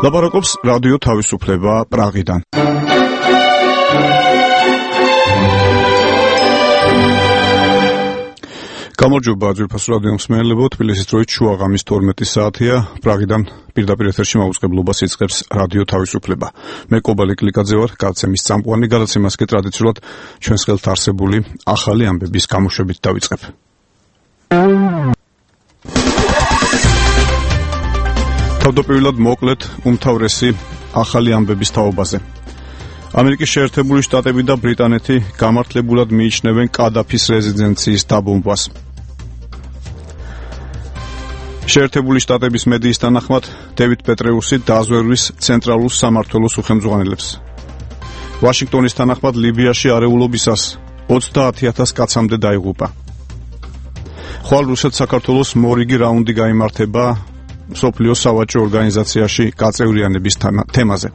ლაპარაკობს რადიო თავისუფლება პრაღიდან. გამარჯობა ძვირფასო რადიო მსმენელებო, თბილისის დროით შუა ღამის 12 საათია. პრაღიდან პირდაპირ ეთერში მაუწყებლობას იწყებს რადიო თავისუფლება. მე კობალე კლიკაძე ვარ, გადაცემის წამყვანი. გადაცემას კი ტრადიციულად ჩვენს ხელთ არსებული ახალი ამბების გამოშვებით დავიწყებ. თავდაპირველად მოკლედ უმთავრესი ახალი ამბების თაობაზე. ამერიკის შეერთებული შტატები და ბრიტანეთი გამართლებულად მიიჩნევენ კადაფის რეზიდენციის დაბომბვას. შეერთებული შტატების მედიის თანახმად დევიდ პეტრეუსი დაზვერვის ცენტრალურ სამმართველოს უხელმძღვანელებს. ვაშინგტონის თანახმად ლიბიაში არეულობისას 30,000 კაცამდე დაიღუპა. ხვალ რუსეთ-საქართველოს მორიგი რაუნდი გაიმართება მსოფლიოს სავაჭრო ორგანიზაციაში გაწევრიანების თემაზე.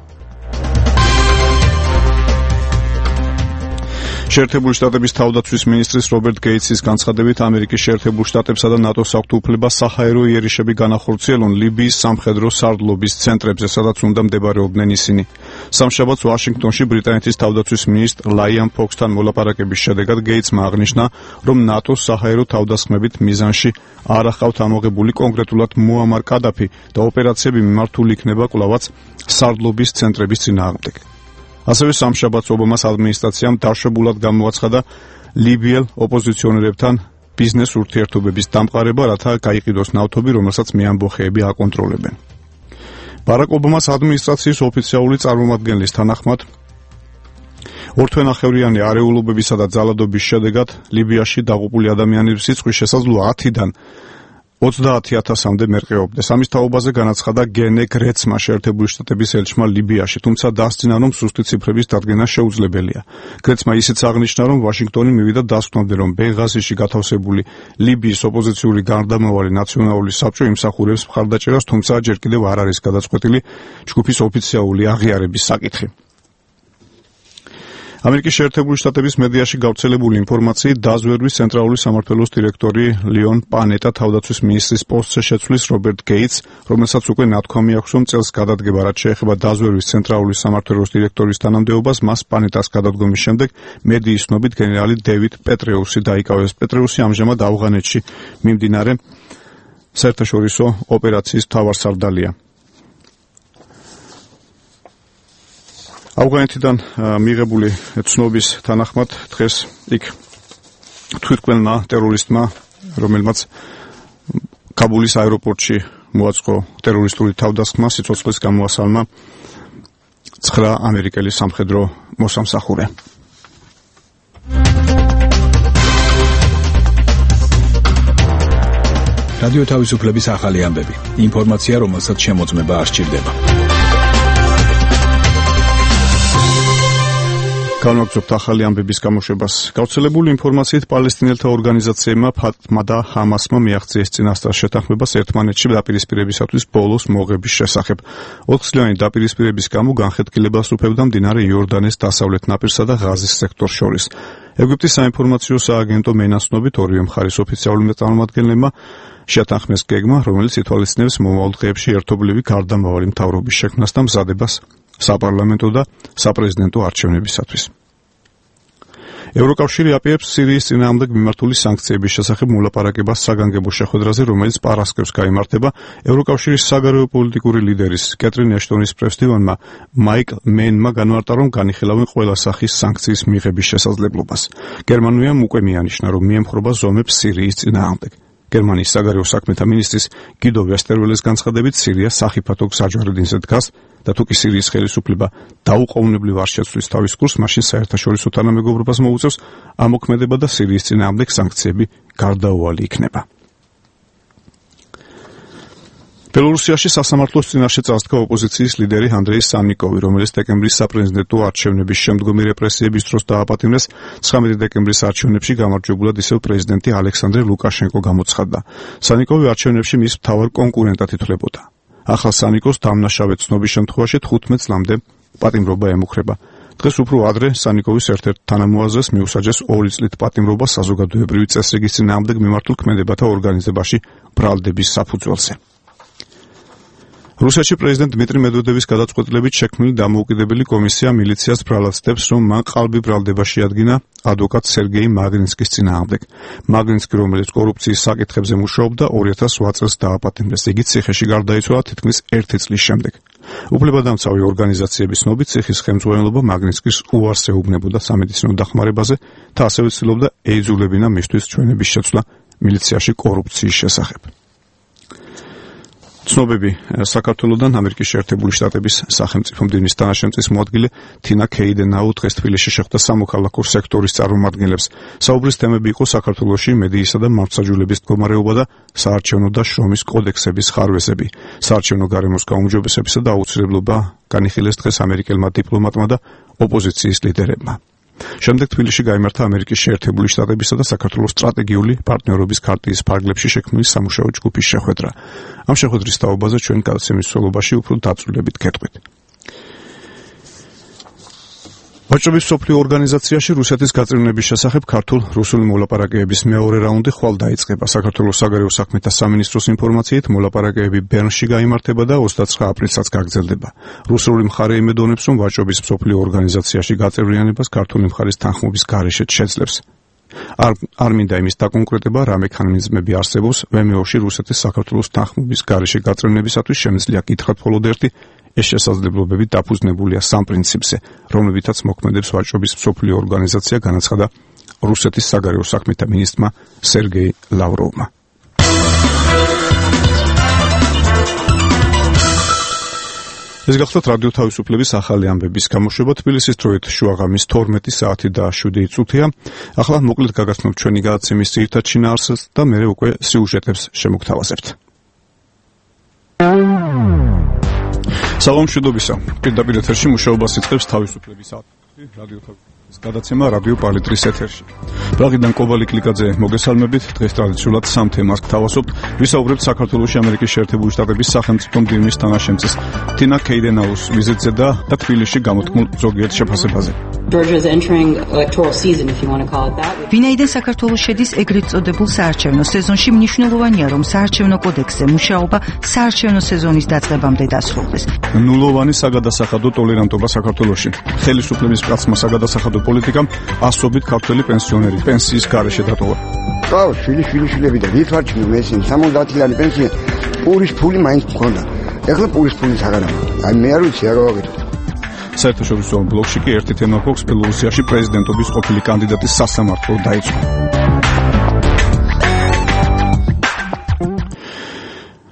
შეერთებული შტატების თავდაცვის მინისტრის რობერტ გეიტსის განცხადებით ამერიკის შეერთებულ შტატებსა და ნატოს აქვთ უფლება საჰაერო იერიშები განახორციელონ ლიბიის სამხედრო სარდლობის ცენტრებზე, სადაც უნდა მდებარეობდნენ ისინი. სამშაბათს ვაშინგტონში ბრიტანეთის თავდაცვის მინისტრ ლაიან ფოქსთან მოლაპარაკების შედეგად გეიტსმა აღნიშნა, რომ ნატოს საჰაერო თავდასხმებით მიზანში არ ახავთ ამოღებული კონკრეტულად მუამარ კადაფი და ოპერაციები მიმართული იქნება კვლავაც სარდლობის ცენტრების წინააღმდეგ. ასევე სამშაბათს ობამას ადმინისტრაციამ დაშვებულად გამოაცხადა ლიბიელ ოპოზიციონერებთან ბიზნეს ურთიერთობების დამყარება, რათა გაიყიდოს ნავთობი, რომელსაც მეამბოხეები აკონტროლებენ. ბარაკ ობამას ადმინისტრაციის ოფიციალური წარმომადგენლის თანახმად ორთვენახევრიანი არეულობებისა და ძალადობის შედეგად ლიბიაში დაღუპული ადამიანების სიცხვის შესაძლოა 10-დან 30,000-მდე მერყეობდეს. ამის თაობაზე განაცხადა გენე გრეცმა, შეერთებული შტატების ელჩმა ლიბიაში, თუმცა დასძინა, რომ ზუსტი ციფრების დადგენა შეუძლებელია. გრეცმა ისიც აღნიშნა, რომ ვაშინგტონი მივიდა დასკვნამდე, რომ ბენღაზიში გათავსებული ლიბიის ოპოზიციური გარდამავალი ნაციონალური საბჭო იმსახურებს მხარდაჭერას, თუმცა ჯერ კიდევ არ არის გადაწყვეტილი ჯგუფის ოფიციალური აღიარების საკითხი. ამერიკის შეერთებული შტატების მედიაში გავრცელებული ინფორმაციით დაზვერვის ცენტრალური სამმართველოს დირექტორი ლიონ პანეტა თავდაცვის მინისტრის პოსტზე შეცვლის რობერტ გეიტს, რომელსაც უკვე ნათქვამი აქვს, რომ წელს გადადგება, რაც შეეხება დაზვერვის ცენტრალური სამმართველოს დირექტორის თანამდებობას, მას პანეტას გადადგომის შემდეგ მედიის ცნობით გენერალი დევიდ პეტრეუსი დაიკავეს. პეტრეუსი ამჟამად ავღანეთში მიმდინარე საერთაშორისო ოპერაციის მთავარსარდალია. ავღანეთიდან მიღებული ცნობის თანახმად დღეს იქ თვითმკვლელმა ტერორისტმა, რომელმაც კაბულის აეროპორტში მოაწყო ტერორისტული თავდასხმა, სიცოცხლის გამოასალმა 9 ამერიკელი სამხედრო მოსამსახურე. რადიო თავისუფლების ახალი ამბები. ინფორმაცია, რომელსაც შემოწმება არ სჭირდება. განვაგრძობთ ახალი ამბების გამოშვებას. გავრცელებული ინფორმაციით პალესტინელთა ორგანიზაციებმა ფათმა და ჰამასმა მიაღწიეს წინასწარ შეთანხმებას ერთმანეთში დაპირისპირებისათვის ბოლოს მოღების შესახებ. 4 წლიანი დაპირისპირების გამო განხეთქილებას უფევდა მდინარე იორდანეს დასავლეთ ნაპირსა და ღაზის სექტორს შორის. ეგვიპტის საინფორმაციო სააგენტო მენაცნობით ორივე მხარის ოფიციალურმა წარმომადგენლებმა შეთანხმეს გეგმა, რომელიც ითვალისწინებს მომავალ დღეებში ერთობლივი გარდამავალი მთავრობის შექმნას და მზადებას საპარლამენტო და საპრეზიდენტო არჩევნებისათვის. ევროკავშირი აპირებს სირიის წინააღმდეგ მიმართული სანქციების შესახებ მოლაპარაკებას საგანგებო შეხვედრაზე, რომელიც პარასკევს გაიმართება. ევროკავშირის საგარეო პოლიტიკური ლიდერის კეტრინ ეშტონის პრესდივანმა მაიკლ მენმა განმარტა, რომ განიხილავენ ყველა სახის სანქციის მიღების შესაძლებლობას. გერმანიამ უკვე მიანიშნა, რომ მიემხრობა ზომებს სირიის წინააღმდეგ. გერმანიის საგარეო საქმეთა მინისტრის გიდო ვესტერველეს განცხადებით, სირია სახიფათო გზაჯვარედინზე დგას და თუ კი სირიის ხელისუფლება დაუყოვნებლივ არ შეცვლის თავის კურსს, მაშინ საერთაშორისო თანამეგობრობას მოუწევს ამოქმედება და სირიის წინააღმდეგ სანქციები გარდაუვალი იქნება. ბელორუსიაში სასამართლოს წინაშე წასდგა ოპოზიციის ლიდერი ანდრეი სანიკოვი, რომელიც დეკემბრის საპრეზიდენტო არჩევნების შემდგომი რეპრესიების დროს დააპატიმრეს. 19 დეკემბრის არჩევნებში გამარჯვებულად ისევ პრეზიდენტი ალექსანდრე ლუკაშენკო გამოცხადდა. სანიკოვი არჩევნებში მის მთავარ კონკურენტად ითვლებოდა. ახალ სანიკოს დამნაშავე ცნობის შემთხვევაში 15 წლამდე პატიმრობა ემუქრება. დღეს უფრო ადრე სანიკოვის ერთ-ერთ თანამოაზრეს მიუსაჯეს 2 წლით პატიმრობა საზოგადოებრივი წესრიგის წინააღმდეგ მიმართულ ქმედებათა ორგანიზებაში ბრალდების საფუძველზე. რუსეთში პრეზიდენტ დმიტრი მედვედევის გადაწყვეტილებით შექმნილი დამოუკიდებელი კომისია მილიციას ბრალად ცდებს, რომ მან ყალბი ბრალდება შეადგინა ადვოკატ სერგეი მაგნიცკის წინააღმდეგ. მაგნიცკი, რომელიც კორუფციის საკითხებზე მუშაობდა, 2008 წელს დააპატიმრეს. იგი ციხეში გარდაიცვალა თითქმის 1 წლის შემდეგ. უფლებადამცავი ორგანიზაციების ცნობით, ციხის ხელმძღვანელობა მაგნიცკის უარს ეუბნებოდა სამედიცინო დახმარებაზე და ასევე ცდილობდა ეიძულებინა მისთვის ჩვენების შეცვლა მილიციაში კორუფციის შესახებ. ცნობები საქართველოდან ამერიკის შეერთებული შტატების სახელმწიფო მდივნის თანაშემწის მოადგილე თინა ქეიდენაუ დღეს თბილისში შეხვდა სამოქალაქო სექტორის წარმომადგენლებს. საუბრის თემები იყო საქართველოში მედიისა და მართლმსაჯულების მდგომარეობა და საარჩევნო და შრომის კოდექსების ხარვეზები. საარჩევნო გარემოს გაუმჯობესებისა და აუცილებლობა განიხილეს დღეს ამერიკელმა დიპლომატმა და ოპოზიციის ლიდერებმა. შემდეგ თბილისში გაიმართა ამერიკის შეერთებული შტატებისა და საქართველოს სტრატეგიული პარტნიორობის ქარტიის ფარგლებში შექმნილი სამუშაო ჯგუფის შეხვედრა. ამ შეხვედრის თაობაზე ჩვენ გადაცემის მსვლელობაში უფრო დაწვრილებით გეტყვით. ვაჭრობის მსოფლიო ორგანიზაციაში რუსეთის გაწევრიანების შესახებ ქართულ-რუსული მოლაპარაკებების მეორე რაუნდი ხვალ დაიწყება. საქართველოს საგარეო საქმეთა სამინისტროს ინფორმაციით, მოლაპარაკებები ბერნში გაიმართება და 29 აპრილსაც გაგრძელდება. რუსული მხარე იმედოვნებს, რომ ვაჭრობის მსოფლიო ორგანიზაციაში გაწევრიანებას ქართული მხარის თანხმობის გარეშე შეძლებს. არ მინდა იმის დაკონკრეტება, რა მექანიზმები არსებობს ვმო-ში რუსეთის საქართველოს თანხმობის გარეშე გაწევრიანებისათვის შემიძლია გითხრათ მხოლოდ ერთი. ეს შესაძლებლობები დაფუძნებულია სამ პრინციპზე, რომლებითაც მოქმედებს ვაჭრობის მსოფლიო ორგანიზაცია, განაცხადა რუსეთის საგარეო საქმეთა მინისტრმა სერგეი ლავროვმა. ეს გახლავთ რადიო თავისუფლების ახალი ამბების გამოშვება. თბილისის დროით შუაღამის 12 საათი და 7 წუთია. ახლა მოკლედ გაგაცნობთ ჩვენი გადაცემის ძირითად შინაარსს და მერე უკვე სიუჟეტებს შემოგთავაზებთ. საღამოშიდობისა. პირდაპირ ეთერში მუშაობას იწყებს თავისუფლების აქტი რადიო თავისუფლების გადაცემა რადიო პალიტრის ეთერში. პრაღიდან კობალი კლიკაძე მოგესალმებით. დღეს ტრადიციულად სამ თემას გთავაზობთ. ვისაუბრებთ საქართველოში ამერიკის შეერთებული შტატების სახელმწიფო მდივნის თანაშემწის თინა ქეიდენაუს ვიზიტზე და თბილისში გამოთქმულ ზოგიერთ შეფასებაზე. Georgia is entering electoral season, if you want to call it that. ვინაიდან საქართველოს შედის ეგრეთ წოდებულ საარჩევნო სეზონში, მნიშვნელოვანია, რომ საარჩევნო კოდექსზე მუშაობა საარჩევნო სეზონის დაწყებამდე დასრულდეს. ნულოვანი საგადასახადო ტოლერანტობა საქართველოში. ხელისუფლების პრაცმა საგადასახადო პოლიტიკამ ასობით ქართველი პენსიონერი პენსიის გარეშე დატოვა. ყავს შვილიშვილები და ვითვარჩინო მესინ 70-ლიანი პენსია პურის ფული მაინც მქონდა. ეხლა პურის ფულის აღარაა. აი მე არ ვიცი რა გავაკეთო. საერთაშორისო ბლოკში კი ერთი თემა გვაქვს. ბელორუსიაში პრეზიდენტობის ყოფილი კანდიდატის სასამართლო დაიწყო.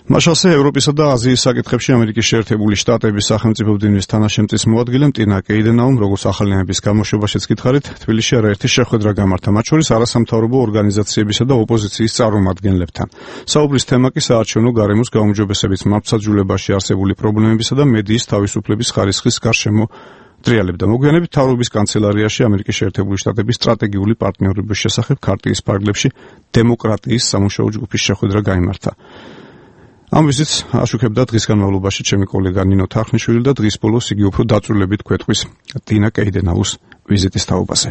მაშასე ევროპისა და აზიის საკითხებში ამერიკის შეერთებული შტატების სახელმწიფო მდივნის თანაშემწის მოადგილემ ტინა კეიდენაუმ, როგორც ახალიანების გამოშვებაშიც გითხარით, თბილისში არაერთი შეხვედრა გამართა, მათ შორის არასამთავრობო ორგანიზაციებისა და ოპოზიციის წარმომადგენლებთან. საუბრის თემა კი საარჩევნო გარემოს გაუმჯობესებით მართლმსაჯულებაში არსებული პრობლემებისა და მედიის თავისუფლების ხარისხის გარშემო დრიალებდა. მოგვიანებით მთავრობის კანცელარიაში ამერიკის შეერთებული შტატების სტრატეგიული პარტნიორობის შესახებ ქარტიის ფარგლებში დემოკრატიის სამუშაო ჯგუფის შეხვედრა გაიმართა. ამ ვიზიტს აშუქებდა დღის განმავლობაში ჩემი კოლეგა ნინო თარხნიშვილი და დღის ბოლოს იგი უფრო დაწვრილებით გვეტყვის ტინა კეიდენაუს ვიზიტის თაობაზე.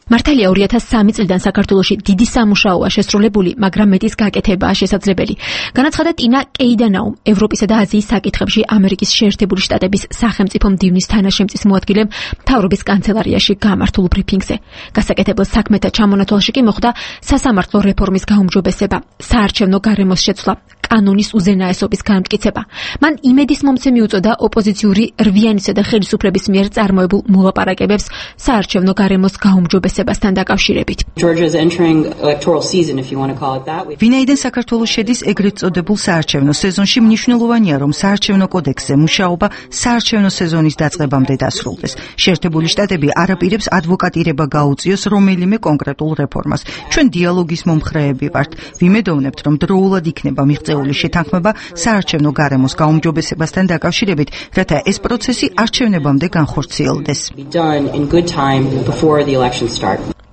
მართალია 2003 წლიდან საქართველოში დიდი სამუშაოა შესრულებული, მაგრამ მეტის გაკეთებაა შესაძლებელი. განაცხადა ტინა კეიდენაუმ, ევროპისა და აზიის საკითხებში ამერიკის შეერთებული შტატების სახელმწიფო მდივნის თანაშემწის მოადგილემ მთავრობის კანცელარიაში გამართულ ბრიფინგზე. გასაკეთებელ საქმეთა ჩამონათვალში კი მოხდა სასამართლო რეფორმის გაუმჯობესება, საარჩევნო გარემოს შეცვლა, კანონის უზენაესობის განმტკიცება. მან იმედის მომცემი უწოდა ოპოზიციური რვიანისა და ხელისუფლების მიერ წარმოებულ მოლაპარაკებებს საარჩევნო გარემოს გაუმჯობესებასთან დაკავშირებით. Georgia is entering electoral season, if you want to call it that. ვინაიდან საქართველოს შედის ეგრეთ წოდებულ საარჩევნო სეზონში, მნიშვნელოვანია, რომ საარჩევნო კოდექსზე მუშაობა საარჩევნო სეზონის დაწყებამდე დასრულდეს. შეერთებული შტატები არაპირებს ადვოკატირება გაუწიოს რომელიმე კონკრეტულ რეფორმას. ჩვენ დიალოგის მომხრეები ვართ. ვიმედოვნებთ, რომ დროულად იქნება მიღწეული შეთანხმება საარჩევნო გარემოს გაუმჯობესებასთან დაკავშირებით, რათა ეს პროცესი არჩევნებამდე განხორციელდეს.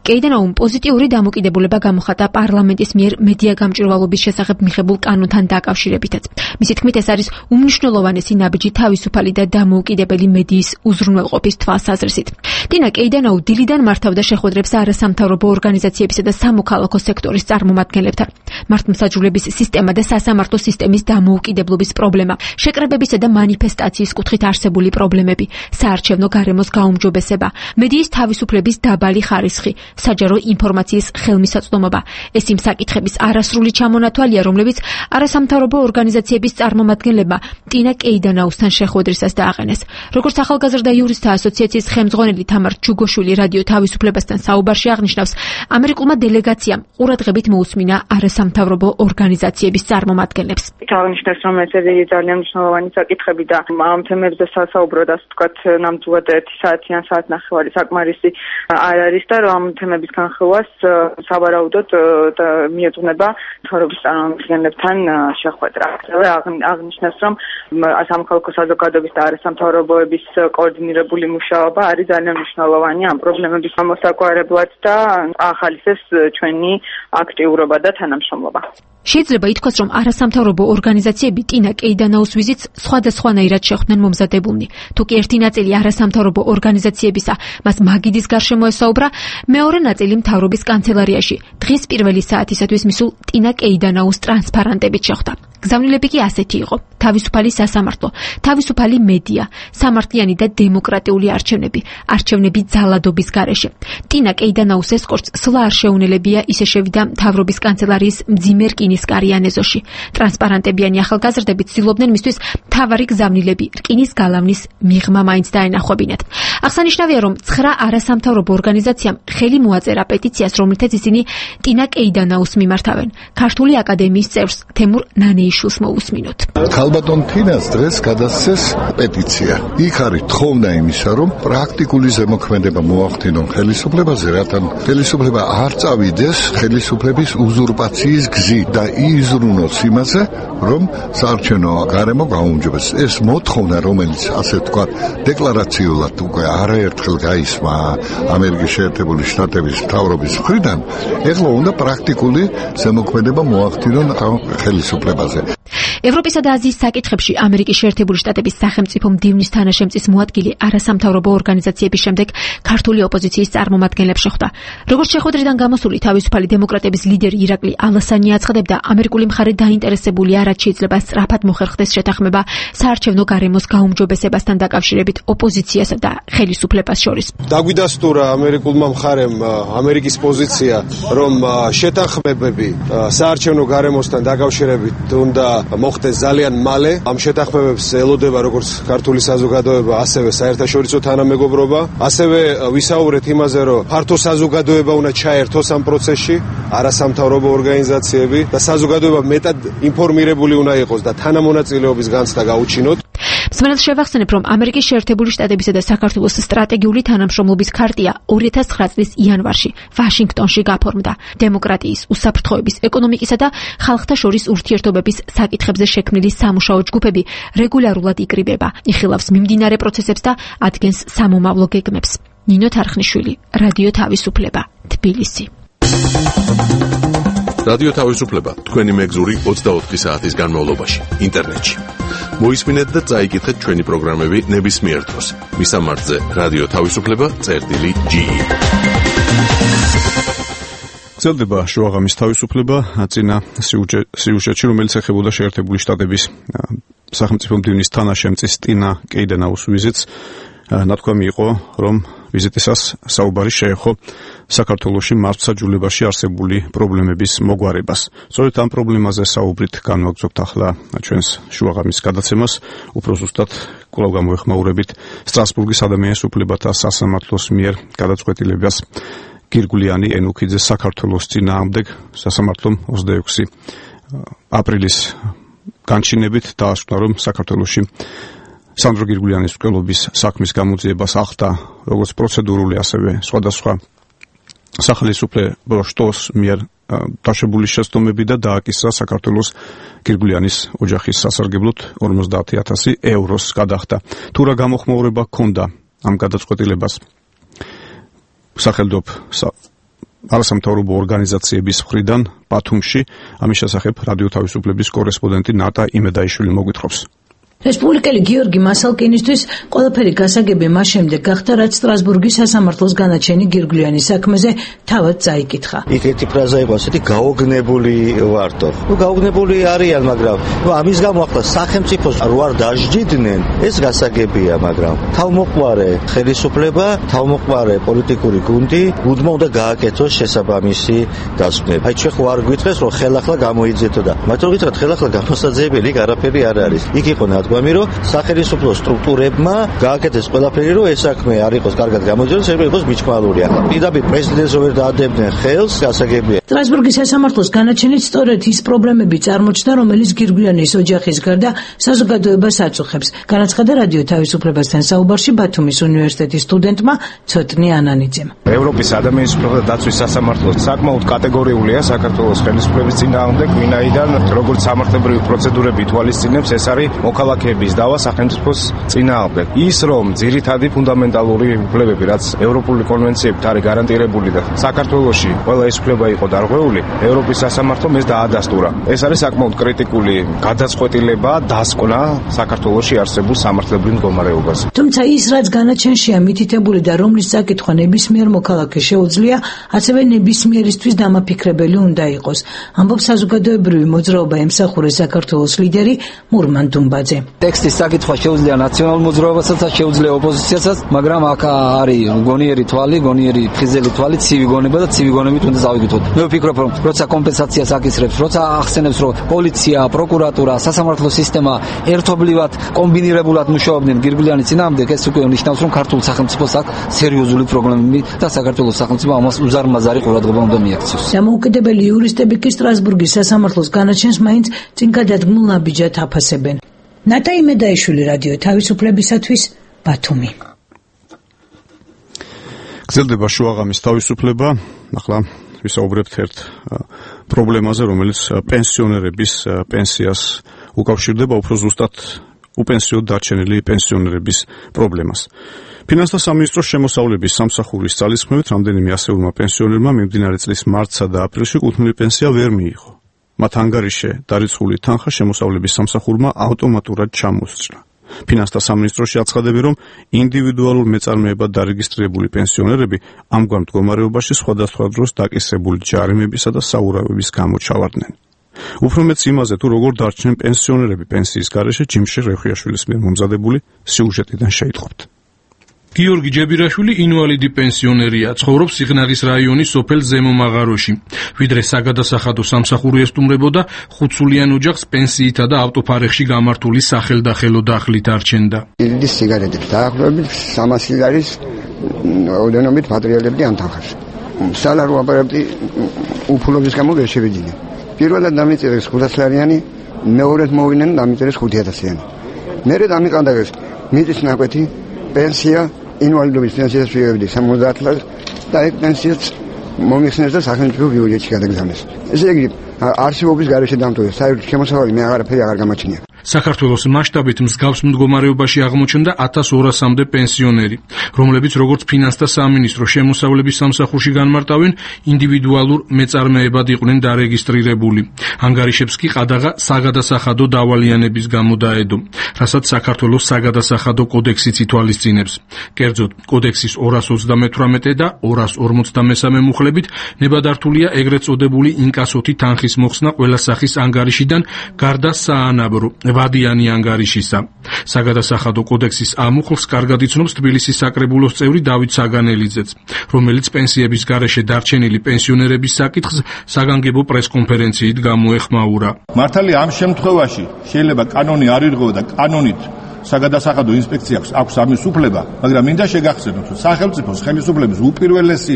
კეიდენაუმ პოზიტიური დამოკიდებულება გამოხატა პარლამენტის მიერ მედია გამჭვირვალობის შესახებ მიღებულ კანონთან დაკავშირებითაც. მისი თქმით, ეს არის უმნიშვნელოვანესი ნაბიჯი თავისუფალი და დამოუკიდებელი მედიის უზრუნველყოფის თვალსაზრისით. ტინა კეიდენაუ დილიდან მართავდა შეხვედრებს არასამთავრობო ორგანიზაციებისა და სამოქალაქო სექტორის წარმომადგენლებთან. მართლმსაჯულების სისტემა და სასამართლო სისტემის დამოუკიდებლობის პრობლემა, შეკრებებისა და მანიფესტაციის კუთხით არსებული პრობლემები, საარჩევნო გარემოს გაუმჯობესება, მედიის თავისუფლების დაბალი ხარისხი, საჯარო ინფორმაციის ხელმისაწვდომობა. ეს იმ საკითხების არასრული ჩამონათვალია, რომლებიც არასამთავრობო ორგანიზაციების წარმომადგენლებმა ტინა კეიდენაუსთან შეხვედრისას დააყენეს. როგორც ახალგაზრდა იურისტთა ასოციაციის ხელმძღვანელი თამარ ჩუგოშვილი რადიო თავისუფლებასთან საუბარში აღნიშნავს, ამერიკულმა დელეგაციამ ყურადღებით მოусმინა არასამთავრობო ორგანიზაციების წარმომადგენლებს. აღნიშნეს, რომ ეს ძალიან მნიშვნელოვანი საკითხები და ამ თემებზე სასაუბროდ, ასე ვთქვათ, ნამდვილად 1 საათი ან საათნახევარი საკმარისი არ არის და რომ ამ თემების განხილვას სავარაუდოდ მიეძღვნება მთავრობის წარმომადგენლებთან შეხვედრა. ასევე აღნიშნეს, რომ სამოქალაქო საზოგადოების და არასამთავრობოების კოორდინირებული მუშაობა არის ძალიან მნიშვნელოვანი ამ პრობლემების გამოსაგვარებლად და ახალისეს ჩვენი აქტიურობა და თანამშრომლობა. შეიძლება ითქვას, რომ არასამთავრობო ორგანიზაციები ტინა კეიდენაუს ვიზიტს სხვადასხვანაირად შეხვდნენ მომზადებულნი. თუ კი ერთი ნაწილი არასამთავრობო ორგანიზაციებისა მას მაგიდის გარშემო ესაუბრა, მეორე ნაწილი მთავრობის კანცელარიაში დღის პირველი საათისათვის მისულ ტინა კეიდენაუს ტრანსპარანტებით შეხვდა. გზავნილები კი ასეთი იყო: თავისუფალი სასამართლო, თავისუფალი მედია, სამართლიანი და დემოკრატიული არჩევნები ძალადობის გარეშე. ტინა კეიდენაუს ესკორტს სვლა არ შეუნელებია ისე შევიდა მთავრობის კანცელარიის მძიმე რკინისკარიან ეზოში. ტრანსპარანტებიანი ახალგაზრდები ცდილობდნენ მისთვის მთავარი გზავნილები რკინის გალავნის მიღმა მაინც დაენახებინათ. აღსანიშნავია, რომ 9 არასამთავრობო ორგანიზაციამ ხელი მოაწერა პეტიციას, რომლითაც ისინი ტინა კეიდენაუს მიმართავენ. ქართული აკადემიის წევრს თემურ ნანეიშვილს მოусმინოთ. ქალბატონ თინას დღეს გადასცეს პეტიცია. იქ არის თხოვნა იმისა, რომ პრაქტიკული ზემოქმედება მოახდინონ ხელისუფლებაზე, რათა ხელისუფლება არ წავიდეს ხელისუფლების უზურპაციის გზით და იზრუნოს იმაზე, რომ საარჩევნო გარემო გაუმჯობესდეს. ეს მოთხოვნა, რომელიც ასე ვთქვათ, დეკლარაციულად უკვე არაერთხელ გაისმა ამერიკის შეერთებული შტატების მთავრობის მხრიდან, ეხლა უნდა პრაქტიკული ზემოქმედება მოახდინონ ხელისუფლებაზე. ევროპისა და აზიის საკითხებში ამერიკის შეერთებული შტატების სახელმწიფო მდივნის თანაშემწის მოადგილე არასამთავრობო ორგანიზაციების შემდეგ ქართული ოპოზიციის წარმომადგენლებს შეხვდა. როგორც შეხვედრიდან გამოსული თავისუფალი დემოკრატების ლიდერი ირაკლი ალასანი აცხადებდა, ამერიკული მხარე დაინტერესებულია, რაც შეიძლება სწრაფად მოხერხდეს შეთანხმება საარჩევნო გარემოს გაუმჯობესებასთან დაკავშირებით ოპოზიციასა და ხელისუფლებას შორის. დაგვიდასტურა ამერიკულმა მხარემ ამერიკის პოზიცია, რომ შეთანხმებები საარჩევნო გარემოსთან დაკავშირებით უნდა მოხდეს ძალიან მალე. ამ შეთანხმებებს ელოდება როგორც ქართული საზოგადოება, ასევე საერთაშორისო თანამეგობრობა. ასევე ვისაუბრეთ იმაზე, რომ ფართო საზოგადოება უნდა ჩაერთოს ამ პროცესში, არასამთავრობო ორგანიზაციები და საზოგადოება მეტად ინფორმირებული უნდა იყოს და თანამონაწილეობის განცდა გაუჩინოთ. მსმენელს შევახსენებ, რომ ამერიკის შეერთებული შტატებისა და საქართველოს სტრატეგიული თანამშრომლობის ქარტია 2009 წლის იანვარში ვაშინგტონში გაფორმდა. დემოკრატიის, უსაფრთხოების, ეკონომიკისა და ხალხთა შორის ურთიერთობების საკითხებზე შექმნილი სამუშაო ჯგუფები რეგულარულად იკრიბება, იხილავს მიმდინარე პროცესებს და ადგენს სამომავლო გეგმებს. ნინო თარხნიშვილი, რადიო თავისუფლება, თბილისი. რადიო თავისუფლება თქვენი მეგზური 24 საათის განმავლობაში ინტერნეტში. მოისმინეთ და წაიკითხეთ ჩვენი პროგრამები ნებისმიერ დროს. მისამართზე რადიო თავისუფლება.ge. გრძელდება შუაღამის თავისუფლება წინა სიუჟეტში, რომელიც ეხებოდა შეერთებული შტატების სახელმწიფო მდივნის თანაშემწის ტინა კეიდენაუს ვიზიტს. ნათქვამი იყო, რომ ვიზიტისას საუბარი შეეხო საქართველოში მართლმსაჯულებაში არსებული პრობლემების მოგვარებას. სწორედ ამ პრობლემაზე საუბრით განვაგრძობთ ახლა ჩვენს შუაღამის გადაცემას. უფრო ზუსტად კვლავ გამოეხმაურებით სტრასბურგის ადამიანის უფლებათა სასამართლოს მიერ გადაწყვეტილებას გირგვლიანი ენუქიძეს საქართველოს წინააღმდეგ სასამართლომ 26 აპრილის განჩინებით დაასკვნა, რომ საქართველოში სანდრო გირგვლიანის მკვლობის საქმის გამოძიებას ახდა როგორც პროცედურული, ასევე სხვადასხვა სახელმწიფო შტოს მიერ დაშვებული შეცდომები და დააკისრა საქართველოს გირგვლიანის ოჯახის სასარგებლოდ 50,000 ევროს გადახდა. თუ რა გამოხმაურება ჰქონდა ამ გადაწყვეტილებას სახელმწიფო არასამთავრობო ორგანიზაციების მხრიდან ბათუმში. ამის შესახებ რადიო თავისუფლების კორესპონდენტი ნატა იმედაიშვილი მოგვითხრობს. რესპუბლიკელი გიორგი მასალკინისთვის ყველაფერი გასაგები მას შემდეგ გახდა, რაც სტრასბურგის სასამართლოს განაჩენი გირგვლიანის საქმეზე თავად წაიკითხა. იქ ერთი ფრაზა იყო ასეთი გაოგნებული ვარდო. გაოგნებული არიან, მაგრამ ამის გამო ახლა სახელმწიფოს რო არ დაждიდნენ, ეს გასაგებია, მაგრამ თავმოყარე ხელისუფლება, თავმოყარე პოლიტიკური გუნდი უდმა უნდა გააკეთოს შესაბამისი დასკვნა. აი ჩვენ ხო არ გვითხრეს, რომ ხელახლა გამოიძეთო და მაგრამ გითხრათ ხელახლა გამოსაძიებელი იქ არაფერი არ არის. იქ იყო ნათქვამი, რომ სახელმწიფო სტრუქტურებმა გააკეთეს ყველაფერი, რომ ეს საქმე არ იყოს კარგად გამოძიებას, ეს იყოს მიჩქმალური. ახლა პირდაპირ პრეზიდენტს ვერ დაადებდნენ ხელს, გასაგებია. სტრასბურგის სასამართლოს განაჩენით სწორედ ის პრობლემები წარმოჩნდა, რომელიც გირგვლიანის ოჯახის გარდა საზოგადოებას აწუხებს. განაცხადა რადიო თავისუფლებასთან საუბარში ბათუმის უნივერსიტეტის სტუდენტმა ცოტნი ანანიძემ. ევროპის ადამიანის უფლებათა დაცვის სასამართლოს საკმაოდ კატეგორიულია საქართველოს ხელისუფლების წინააღმდეგ, ვინაიდან როგორც სამართლებრივი პროცედურები ითვალისწინებს, ეს არის მოქალაქეების დავა სახელმწიფოს წინააღმდეგ. ის რომ ძირითადი ფუნდამენტალური უფლებები, რაც ევროპული კონვენციებით არის გარანტირებული და საქართველოში ყველა ეს უფლება იყო დარღვეული, ევროპის სასამართლომ ეს დაადასტურა. ეს არის საკმაოდ კრიტიკული გადაწყვეტილება, დასკვნა საქართველოში არსებულ სამართლებრივ მდგომარეობაზე. თუმცა ის, რაც განაჩენშია მითითებული და რომლის წაკითხვა ნებისმიერ მოქალაქეს შეუძლია, ასევე ნებისმიერისთვის დამაფიქრებელი უნდა იყოს. ამბობს საზოგადოებრივი მოძრაობა ემსახურე საქართველოს ლიდერი მურმან დუმბაძე. ტექსტის საკითხვა შეუძლია ნაციონალურ მოძრაობასაც, შეუძლია ოპოზიციასაც, მაგრამ აქ არის გონიერი თვალი, გონიერი ფხიზელი თვალი, ცივი გონება და ცივი გონებით უნდა წავიკითხოთ. მე ვფიქრობ, რომ როცა კომპენსაციას აკისრებს, როცა ახსენებს, რომ პოლიცია, პროკურატურა, სასამართლო სისტემა ერთობლივად კომბინირებულად მუშაობდნენ გირგვლიანის წინააღმდეგ, ეს უკვე ნიშნავს, რომ ქართულ სახელმწიფოს აქვს სერიოზული პრობლემები და საქართველოს სახელმწიფო ამას უზარმაზარი ყურადღება უნდა მიაქციოს. დამოუკიდებელი იურისტები კი სტრასბურგის სასამართლოს განაჩენს მაინც წინ გადადგმულ ნაბიჯად აფასებენ. ნატა იმედაიშვილი რადიო თავისუფლებისათვის ბათუმი. გრძელდება შუაღამის თავისუფლება. ახლა ვისაუბრებთ ერთ პრობლემაზე, რომელიც პენსიონერების პენსიას უკავშირდება, უფრო ზუსტად უპენსიოდ დარჩენილი პენსიონერების პრობლემას. ფინანსთა სამინისტროს შემოსავლების სამსახურის ძალისხმევით რამდენიმე ასეულმა პენსიონერმა მიმდინარე წლის მარტსა და აპრილში კუთვნილი პენსია ვერ მიიღო. მათ ანგარიშზე დარიცხული თანხა შემოსავლების სამსახურმა ავტომატურად ჩამოსჭრა. ფინანსთა სამინისტროში აცხადები, რომ ინდივიდუალურ მეწარმეებად დარეგისტრირებული პენსიონერები ამგვარ მდგომარეობაში სხვადასხვა დროს დაკისრებული ჯარიმებისა და საურავების გამო ჩავარდნენ. უფრო მეც იმაზე, თუ როგორ დარჩნენ პენსიონერები პენსიის გარეშე, ჯიმშე რეხვიაშვილის მიერ მომზადებული სიუჟეტიდან შეიტყობთ. გიორგი ჯებირაშვილი ინვალიდი პენსიონერია, ცხოვრობს სიღნაღის რაიონის სოფელ ზემომაღაროში. ვიდრე საგადასახადო სამსახური ესტუმრებოდა, ხუთსულიან ოჯახს პენსიითა და ავტოფარეხში გამართული სახელდახელო დახლით არჩენდა. ილდის სიგარეტებს დაახლოებით 300 ლარის ოდენობით მატერიალები ამთანხებს. სალარო აპარატი უფლობის გამო ვერ შევიძინე. პირველად დამიწერეს 500 ლარიანი, მეორედ მოვიდნენ დამიწერეს 5000-იანი. მერე დამიყანდაგეს მიწის ნაკვეთი, პენსია, ინვალიდობის პენსიას ვიღებდი 70 ლარს და ეგ პენსიაც მომიხსნეს და სახელმწიფო ბიუჯეტში გადაგზავნეს. ესე იგი, არსებობის გარეშე დამტოვეს, საერთოდ შემოსავალი მე აღარაფერი აღარ გამაჩნია. საქართველოს მასშტაბით მსგავს მდგომარეობაში აღმოჩნდა 1200-მდე პენსიონერი, რომლებიც როგორც ფინანსთა სამინისტრო შემოსავლების სამსახურში განმარტავენ, ინდივიდუალურ მეწარმეებად იყვნენ დარეგისტრირებული. ანგარიშებს კი ყადაღა საგადასახადო დავალიანების გამო დაედო, რასაც საქართველოს საგადასახადო კოდექსიც ითვალისწინებს. კერძოდ, კოდექსის 228 და 253 მუხლებით ნებადართულია ეგრეთ წოდებული ინკასოთი თანხის მოხსნა ყველა სახის ანგარიშიდან გარდა საანაბრო ვადიანი ანგარიშისა. საგადასახადო კოდექსის ამუხლს კარგად იცნობს თბილისის საკრებულოს წევრი დავით საგანელიძეც, რომელიც პენსიების გარეშე დარჩენილი პენსიონერების საკითხს საგანგებო პრესკონფერენციით გამოეხმაურა. მართალია ამ შემთხვევაში შეიძლება კანონი არ ირღვევა და კანონით საგადასახადო ინსპექციას აქვს ამის უფლება, მაგრამ მინდა შეგახსენოთ, რომ სახელმწიფოს ხელისუფლების უპირველესი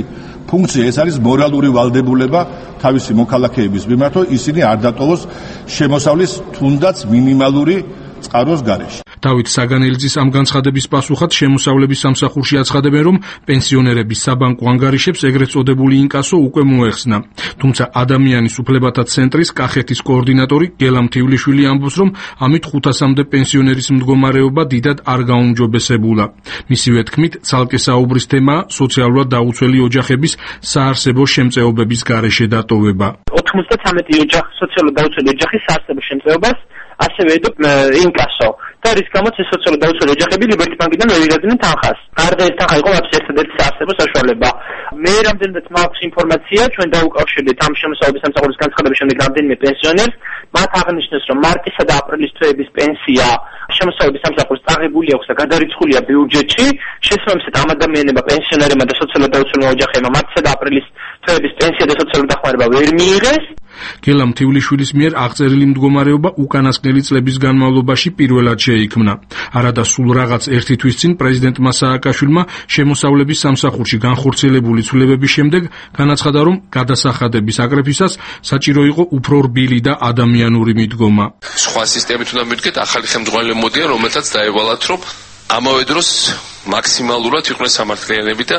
ფუნქცია ეს არის მორალური ვალდებულება თავისი მოქალაქეების მიმართ, რომ ისინი არ დატოვოს შემოსავლის თუნდაც მინიმალური წყაროს გარეშე. დავით საგანელიძის ამ განცხადების პასუხად შემოსავლების სამსახურში აცხადებენ, რომ პენსიონერების საბანკო ანგარიშებს ეგრეთ წოდებული ინკასო უკვე მოეხსნა. თუმცა ადამიანის უფლებათა ცენტრის კახეთის კოორდინატორი გელამ თივლიშვილი ამბობს, რომ ამით 500-მდე პენსიონერის მდგომარეობა დიდად არ გაუმჯობესებულა. მისივე თქმით, ცალკე საუბრის თემაა სოციალურად დაუცველი ოჯახების საარსებო შემწეობების გარეშე დატოვება. 93 სოციალურად დაუცველი ოჯახის საარსებო შემწეობას ასევე ინკასო. და რის გამოც ეს სოციალურად დაუცველი ოჯახები ლიბერტი ბანკიდან ვერ იღებდნენ თანხას. გარდა ეს თანხა იყო ერთადერთი საარსებო საშუალება. მე რამდენადაც მაქვს ინფორმაცია, ჩვენ დაუკავშირდით ამ შემოსავლების სამსახურის განცხადების შემდეგ რამდენიმე პენსიონერს, მათ აღნიშნეს, რომ მარტისა და აპრილის თვეების პენსია შემოსავლების სამსახურს წაღებული აქვს და გადარიცხულია ბიუჯეტში. შესაბამისად ამ ადამიანებმა, პენსიონერებმა და სოციალურად დაუცველმა ოჯახებმა მარტისა და აპრილის თვეების პენსია და სოციალური დახმარება ვერ მიიღეს. გელამ თივლიშვილის მიერ აღწერილი მდგომარეობა უკანასკნელი წლების განმავლობაში პირველად შეიქმნა. არადა სულ რაღაც ერთი თვის წინ პრეზიდენტმა სააკაშვილმა შემოსავლების სამსახურში განხორციელებული ცვლილებების შემდეგ განაცხადა, რომ გადასახადების აკრეფისას საჭირო იყო უფრო რბილი და ადამიანური მიდგომა. სხვა სისტემით უნდა მივდგეთ, ახალი ხელმძღვანელები მოდიან, რომელთაც დაევალათ, რომ ამავე დროს მაქსიმალურად იყვნენ სამართლიანები და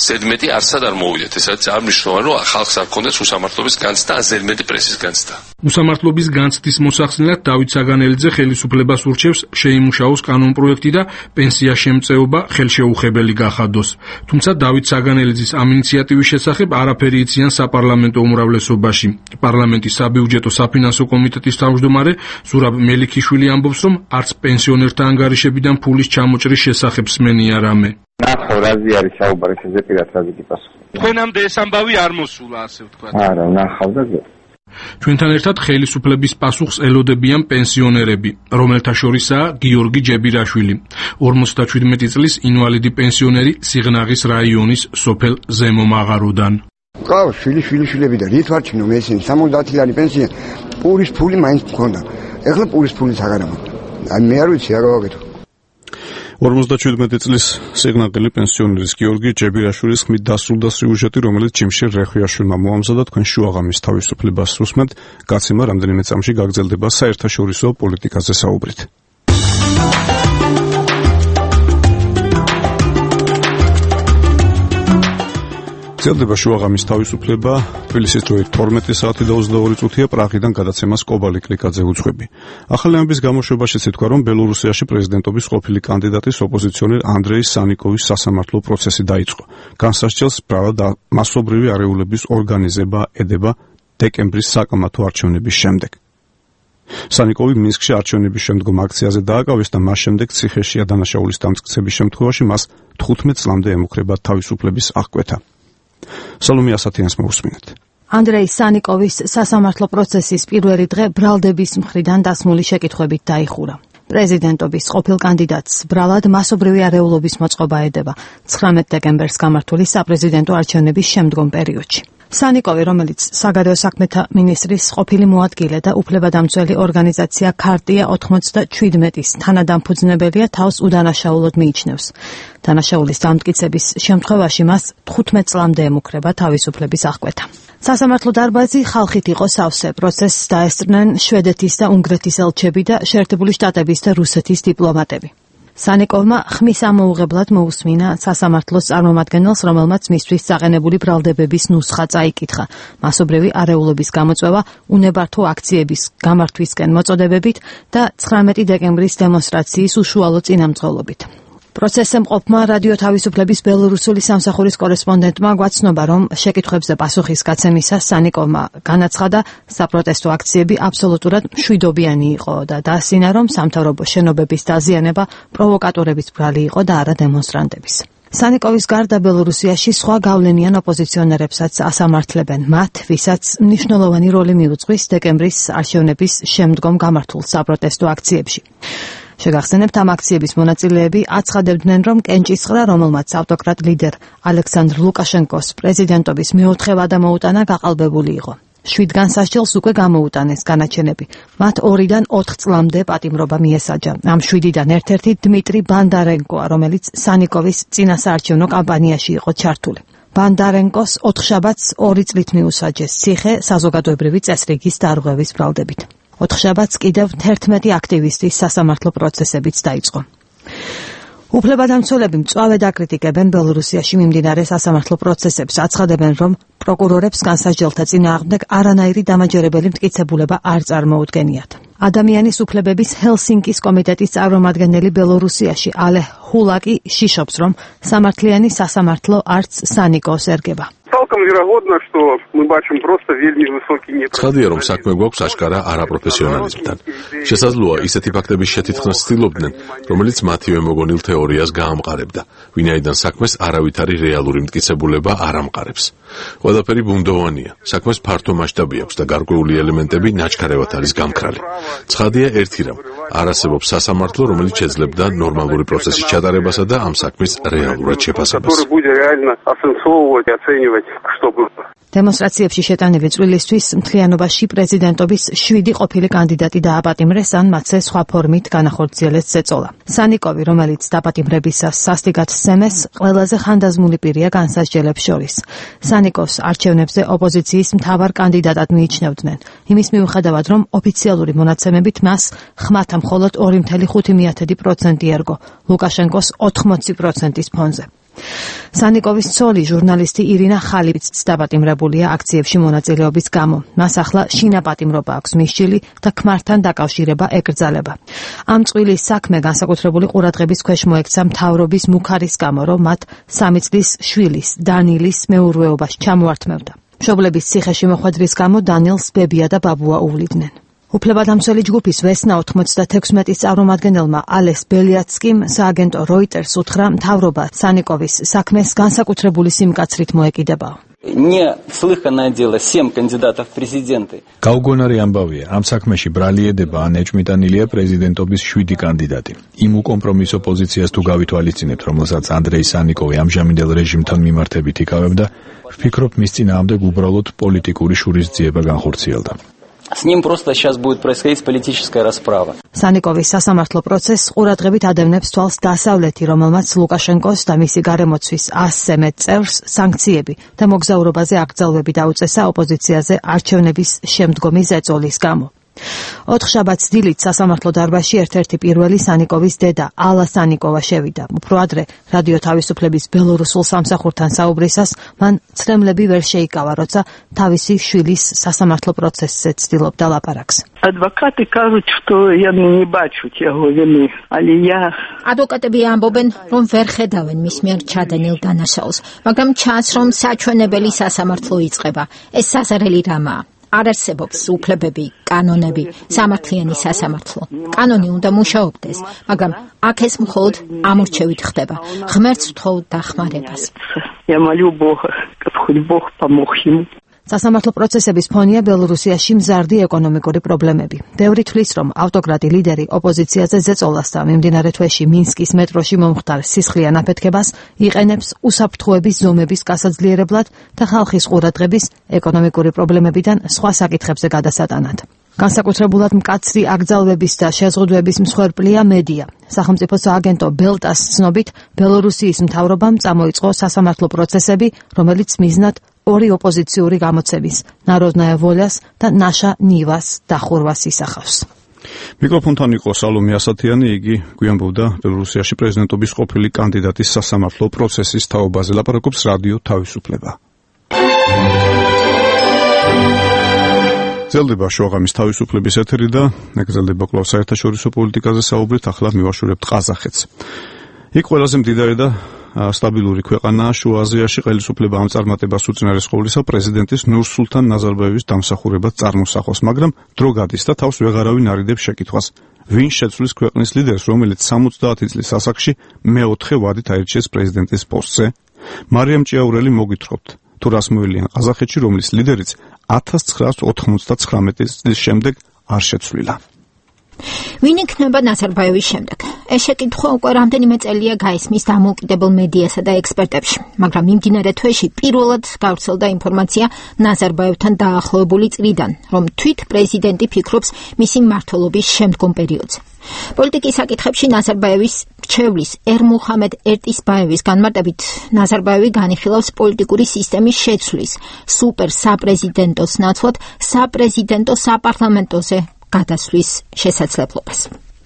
ზედმეტი არსად არ მოვიდეთ. ეს არის არნიშნულოვანი, რომ ხალხს არ ქონდეს უსამართლობის განცდა, ზედმეტი პრესის განცდა. უსამართლობის განცდის მოსახსნელად დავით საგანელიძე ხელისუფლებას ურჩევს შეიმუშაოს კანონპროექტი და პენსია შემწეობა ხელშეუხებელი გახადოს. თუმცა დავით საგანელიძის ამ ინიციატივის შესახებ არაფერი იციან საპარლამენტო უმრავლესობაში. პარლამენტის საბიუჯეტო საფინანსო კომიტეტის თავმჯდომარე ზურაბ მელიქიშვილი ამბობს, რომ არც პენსიონერთა ანგარიშებიდან ფულის ჩამოჭრის შესახებ სმენია რამე. ნახო, რაზი არის საუბარი, ესე პირად რაზი გიპასუხო. თქვენამდე ეს ამბავი არ მოსულა, ასე ვთქვა. არა, ნახავ და ჩვენთან ერთად ხელისუფლების პასუხს ელოდებიან პენსიონერები, რომელთა შორისაა გიორგი ჯებირაშვილი, 57 წლის ინვალიდი პენსიონერი სიღნაღის რაიონის სოფელ ზემო მაღაროდან. ყავს შვილიშვილები და რით ვარჩინო მე ისინი 70 ლარი პენსია, პურის ფული მაინც მქონდა. ეხლა პურის ფულიც აღარ მაქვს. აი მე არ ვიცი რა გავაკეთო. 57 წლის სიღნაღელი პენსიონერის გიორგი ჯებირაშვილის ხმით დასრულდა სიუჟეტი, რომელიც ჯიმშერ რეხვიაშვილმა მოამზადა. თქვენ შუაღამის თავისუფლებას უსმენთ. გაცემა რამდენიმე წამში გაგრძელდება საერთაშორისო პოლიტიკაზე საუბრით. გრძელდება შუაღამის თავისუფლება. თბილისის დროით 12 საათი და 22 წუთია. პრაღიდან გადაცემას კობალი კლიკაძე უძღვები. ახალი ამბის გამოშვებაშიც ითქვა, რომ ბელორუსიაში პრეზიდენტობის ყოფილი კანდიდატის ოპოზიციონერ ანდრეი სანიკოვის სასამართლო პროცესი დაიწყო. განსასჯელს ბრალად მასობრივი არეულების ორგანიზება ედება დეკემბრის საკამათო არჩევნების შემდეგ. სანიკოვი მინსკში არჩევნების შემდგომ აქციაზე დააკავეს და მას შემდეგ ციხეშია დანაშაულის დამტკიცების შემთხვევაში მას 15 წლამდე ემუქრება თავისუფლების აღკვეთა. სალომე ასათიანს მოусმინეთ. ანდრეი სანიკოვის სასამართლო პროცესის პირველი დღე ბრალდების მხრიდან დასმული შეკითხვებით დაიხურა. პრეზიდენტობის ყოფილ კანდიდატს ბრალად მასობრივი არეულობის მოწყობა ედება 19 დეკემბერს გამართული საპრეზიდენტო არჩევნების შემდგომ პერიოდში. სანიკოვი, რომელიც საგარეო საქმეთა მინისტრის ყოფილი მოადგილე და უფლებადამცველი ორგანიზაცია ქარტია 97-ის თანადამფუძნებელია, თავს უდანაშაულოდ მიიჩნევს. დანაშაულის დამტკიცების შემთხვევაში მას 15 წლამდე ემუქრება თავისუფლების აღკვეთა. სასამართლო დარბაზი ხალხით იყო სავსე. პროცესს დაესწრნენ შვედეთის და უნგრეთის ელჩები და შეერთებული შტატების და რუსეთის დიპლომატები. სანიკოვმა ხმის ამოუღებლად მოусმინა სასამართლოს წარმომადგენელს, რომელმაც მისთვის წაყენებული ბრალდებების ნუსხა წაიკითხა. მასობრივი არეულობის გამოწვევა უნებართო აქციების გამართვისკენ მოწოდებებით და 19 დეკემბრის დემონსტრაციის უშუალო წინამძღოლობით. პროცესზე მყოფმა რადიო თავისუფლების ბელორუსული სამსახურის კორესპონდენტმა გვაცნობა, რომ შეკითხვებზე პასუხის გაცემისას სანიკოვმა განაცხადა, საპროტესტო აქციები აბსოლუტურად მშვიდობიანი იყო და დაასინა, რომ სამთავრობო შენობების დაზიანება პროვოკატორების ბრალი იყო და არა დემონსტრანტების. სანიკოვის გარდა ბელორუსიაში სხვა გავლენიან ოპოზიციონერებსაც ასამართლებენ, მათ, ვისაც მნიშვნელოვანი როლი მიუძღვის დეკემბრის არჩევნების შემდგომ გამართულ საპროტესტო აქციებში. შეგახსენებთ, ამ აქციების მონაწილეები აცხადებდნენ, რომ კენჭისყრა, რომელმაც ავტოკრატ ლიდერ ალექსანდრ ლუკაშენკოს პრეზიდენტობის მეოთხევადა მოუტანა, გაყალბებული იყო. 7 განსასჯელს უკვე გამოუტანეს განაჩენები. მათ 2-დან 4 წლამდე პატიმრობა მიესაჯა. ამ 7-დან ერთ-ერთი დმიტრი ბანდარენკოა, რომელიც სანიკოვის წინასაარჩევნო კამპანიაში იყო ჩართული. ბანდარენკოს 4 შაბათს 2 წლით მიუსაჯეს ციხე საზოგადოებრივი წესრიგის დარღვევის ბრალდებით. ოთხშაბათს კიდევ 11 აქტივისტის სასამართლო პროცესებიც დაიწყო. უფლებადამცველები მწვავედ აკრიტიკებენ ბელორუსიაში მიმდინარე სასამართლო პროცესებს, აცხადებენ, რომ პროკურორებს განსაჯელთა წინააღმდეგ არანაირი დამაჯერებელი მტკიცებულება არ წარმოუდგენიათ. ადამიანის უფლებების ჰელსინკის კომიტეტის წარმომადგენელი ბელორუსიაში ალე ჰულაკი შიშობს, რომ სამართლიანი სასამართლო არც სანიკოს ერგება. ცხადია, რომ საქმე გვაქვს აშკარა არაპროფესიონალიზმთან. შესაძლოა ისეთი ფაქტების შეთითქმას ცდილობდნენ, რომელიც მათივე მოგონილ თეორიას გაამყარებდა, ვინაიდან საქმეს არავითარი რეალური მტკიცებულება არ ამყარებს. ყველაფერი ბუნდოვანია, საქმეს ფართო მასშტაბი აქვს და გარკვეული ელემენტები ნაჩქარევად არის გამქრალი. ცხადია ერთი რამ, არ არსებობს სასამართლო, რომელიც შეძლებდა ნორმალური პროცესის ჩატარებასა და ამ საქმის რეალურად შეფასებას. დემონსტრაციებში შეტანილი წვლილისთვის მთლიანობაში პრეზიდენტობის 7 ყოფილი კანდიდატი დააპატიმრეს, ან მათზე სხვა ფორმით განახორციელეს ზეწოლა. სანიკოვი, რომელიც დაპატიმრებისას სასტიკად სცემეს, ყველაზე ხანდაზმული პირია განსასჯელებს შორის. სანიკოს არჩევნებზე ოპოზიციის მთავარ კანდიდატად მიიჩნევდნენ, იმის მიუხედავად, რომ ოფიციალური მონაცემებით მას ხმათა მხოლოდ 2.5% ერგო, ლუკაშენკოს 80%-ის ფონზე. სანიკოვის ცოლი ჟურნალისტი ირინა ხალიბიც დაპატიმრებულია აქციებში მონაწილეობის გამო. მას ახლა შინაპატიმრობა აქვს მისჯილი და ქმართან დაკავშირება ეკრძალება. ამ წვილის საქმე განსაკუთრებული ყურადღების ქვეშ მოექცა მთავრობის მუქარის გამო, რომ მათ 3 წლის შვილის დანილის მეურვეობაში ჩამოართმევდა. მშობლების ციხეში მოხვედრის გამო დანილს ბებია და ბაბუა უვლიდნენ. უფლებადამცველი ჯგუფის ვესნა 96-ის წარმომადგენელმა ალეს ბელიაცკიმ სააგენტო როიტერს უთხრა, მთავრობა სანიკოვის საქმეს განსაკუთრებული სიმკაცრით მოეკიდებაო. გაუგონარი ამბავია, ამ საქმეში ბრალieდება ან ეჭმიტანილია პრეზიდენტობის 7 კანდიდატი. იმ უკომპრომისო პოზიციას თუ გავითვალისწინებთ, რომელსაც ანდრეი სანიკოვი ამჟამინდელ რეჟიმთან მიმართებით იკავებდა, ვფიქრობ, მის წინააღმდეგ უბრალოდ პოლიტიკური შურისძიება განხორციელდა. С ним просто сейчас будет происходить политическая расправа. სანიკოვის სასამართლო პროცესს ყურადღებით ადევნებს თვალს დასავლეთი, რომელმაც ლუკაშენკოს და მისი გარემოცვის 100-ზე მეტ წევრს სანქციები და მოგზაურობაზე აკრძალვები დაუწესა ოპოზიციაზე არჩევნების შემდგომი ზეწოლის გამო. 4 შაბათს დილით სასამართლო დარბაზში ერთ-ერთი პირველი სანიკოვის დედა ალა სანიკოვა შევიდა. უფრო ადრე რადიო თავისუფლების ბელორუსულ სამსახურთან საუბრისას მან ცრემლები ვერ შეიკავა, როცა თავისი შვილის სასამართლო პროცესზე ცდილობდა ლაპარაკს. Адвокаты кажут, что я не бачу его вины, але я... Адვოკატები ამბობენ, რომ ვერ ხედავენ მის მიერ ჩადენილ დანაშაულს, მაგრამ ჩანს, რომ საჩვენებელი სასამართლო იწყება. ეს საზარელი რამაა. არ არსებობს უფლებები, კანონები, სამართლიანი სასამართლო. კანონი უნდა მუშაობდეს, მაგრამ აქ ეს მხოლოდ ამორჩევით ხდება. ღმერთს ვთხოვ დახმარებას. Я молю Бога, чтобы хоть Бог помог ему. სასამართლო პროცესების ფონია ბელორუსიაში მზარდი ეკონომიკური პრობლემები. ბევრი თვლის, რომ ავტოკრატი ლიდერი ოპოზიციაზე ზეწოლას და მიმდინარე თვეში მინსკის მეტროში მომხდარ სისხლიან აფეთქებას იყენებს უსაფრთხოების ზომების გასაძლიერებლად და ხალხის ყურადღების ეკონომიკური პრობლემებიდან სხვა საკითხებზე გადასატანად. განსაკუთრებულად მკაცრი აკრძალვების და შეზღუდვების მსხვერპლია მედია. სახელმწიფო სააგენტო ბელტას ცნობით, ბელორუსიის მთავრობამ წამოიწყო სასამართლო პროცესები, რომელიც მიზნად 2 ოპოზიციური გამოცემის, ნაროდნაია ვოლიას და ნაშა ნივას დახურვას ისახავს. მიკროფონთან იყო სალომე ასათიანი, იგი გვიანბობდა ბელორუსიაში პრეზიდენტობის ყოფილი კანდიდატის სასამართლო პროცესის თაობაზე. ლაპარაკობს რადიო თავისუფლება. გრძელდება შუაღამის თავისუფლების ეთერი და გრძელდება კვლავ საერთაშორისო პოლიტიკაზე საუბრით, ახლა მივაშურებთ ყაზახეთს. იქ ყველაზე მდიდარი და სტაბილური ქვეყანაა შუა აზიაში, ხელისუფლება ამ წარმატებას უწინარესყოვლისა პრეზიდენტის ნურსულთან ნაზარბაევის დამსახურებად წარმოსახავს, მაგრამ დრო გადის და თავს ვეღარავინ არიდებს შეკითხვას. ვინ შეცვლის ქვეყნის ლიდერს, რომელიც 70 წლის ასაკში მეოთხე ვადით აირჩიეს პრეზიდენტის პოსტზე? მარიამ ჭიაურელი მოგითხრობთ, თუ რას მოელიან ყაზახეთში, რომლის ლიდერიც 1999 წლის შემდეგ არ შეცვლილა. ვინ იქნება ნაზარბაევის შემდეგ? ეს შეკითხვა უკვე რამდენიმე წელია გაისმის დამოუკიდებელ მედიასა და ექსპერტებში, მაგრამ მიმდინარე თვეში პირველად გავრცელდა ინფორმაცია ნაზარბაევთან დაახლოებული წლიდან, რომ თვით პრეზიდენტი ფიქრობს მისი მმართველობის შემდგომ პერიოდზე. პოლიტიკის საკითხებში ნაზარბაევის მრჩევლის ერმუხამედ ერტისბაევის განმარტებით, ნაზარბაევი განიხილავს პოლიტიკური სისტემის შეცვლის, სუპერ საპრეზიდენტოს ნაცვლად საპრეზიდენტო საპარლამენტოზე გადასვლის შესაძლებლობას.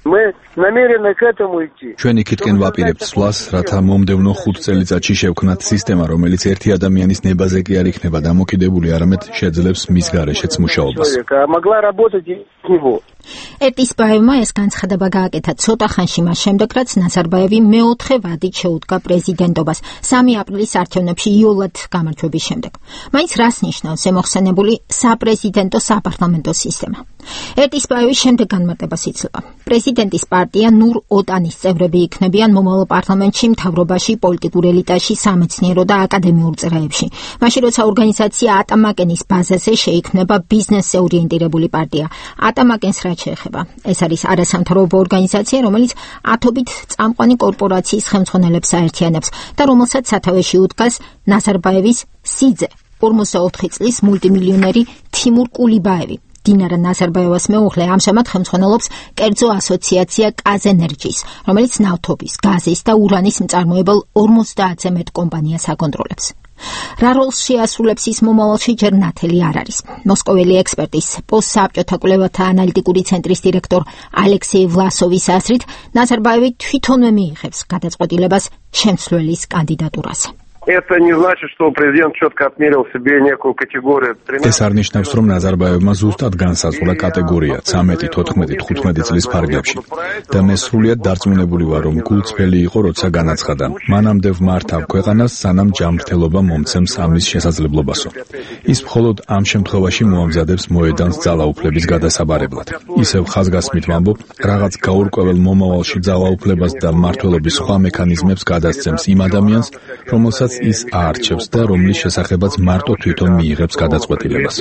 Мы намерены к этому идти. ჩვენ იქითკენ ვაპირებთ სვლას, რათა მომდევნო 5 წელიწადში შევქმნათ სისტემა, რომელიც ერთი ადამიანის ნებაზე კი არ იქნება დამოკიდებული, არამედ შეძლებს მის გარეშეც მუშაობას. ერტისბაევმა ეს განცხადება გააკეთა ცოტა ხანში მას შემდეგ, რაც ნაზარბაევი მეოთხე ვადით შეუდგა პრეზიდენტობას 3 აპრილის არჩევნებში იოლად გამარჯვების შემდეგ. მაინც რას ნიშნავს ემოხსენებული საპრეზიდენტო საპარლამენტო სისტემა? ერტისბაევის შემდეგ განმარტებას იცლება. პრეზიდენტის პარტია ნურ-ოტანის წევრები იქნებიან მომავალ პარლამენტში, მთავრობაში, პოლიტიკურ ელიტაში, სამეცნიერო და აკადემიურ წრეებში. მაშინ როცა ორგანიზაცია ატამაკენის ბაზაზე შეიქმნება ბიზნესზე ორიენტირებული პარტია. ატამაკენს რაც შეეხება, ეს არის არასამთავრობო ორგანიზაცია, რომელიც ათობით წამყვანი კორპორაციის ხელმძღვანელებს აერთიანებს და რომელსაც სათავეში უდგას ნაზარბაევის სიძე, 44 წლის მულტიმილიონერი თიმურ კულიბაევი. დინარა ნაზარბაევას მეუღლე ამჟამად ხელმძღვანელობს კერძო ასოციაცია კაზენერჯის, რომელიც ნავთობის, გაზის და ურანის მწარმოებელ 50-ზე მეტ კომპანიას აკონტროლებს. რა როლს შეასრულებს ის მომავალში ჯერ ნათელი არ არის. მოსკოველი ექსპერტის პოსტსაბჭოთა კვლევათა ანალიტიკური ცენტრის დირექტორ ალექსეი ვლასოვის აზრით, ნაზარბაევი თვითონვე მიიღებს გადაწყვეტილებას შემცვლელის კანდიდატურაზე. Это не значит, что президент четко отмерил себе некую категорию. ეს არ ნიშნავს, რომ ნაზარბაევმა ზუსტად განსაზღვრა კატეგორია 13, 14, 15 წლის ფარგლებში და მე სრულიად დარწმუნებული ვარ, რომ გულწრფელი იყო, როცა განაცხადა: მანამდე ვმართავ ქვეყანას, სანამ ჯანმრთელობა მომცემს ამის შესაძლებლობასო. ის მხოლოდ ამ შემთხვევაში მოამზადებს მოედანს ძალაუფლების გადასაბარებლად. ისევ ხაზგასმით ვამბობ, რაღაც გაურკვეველ მომავალში ძალაუფლებას და მმართველობის სხვა მექანიზმებს გადასცემს იმ ადამიანს, რომელსაც ის აარჩევს და რომლის შესახებაც მარტო თვითონ მიიღებს გადაწყვეტილებას.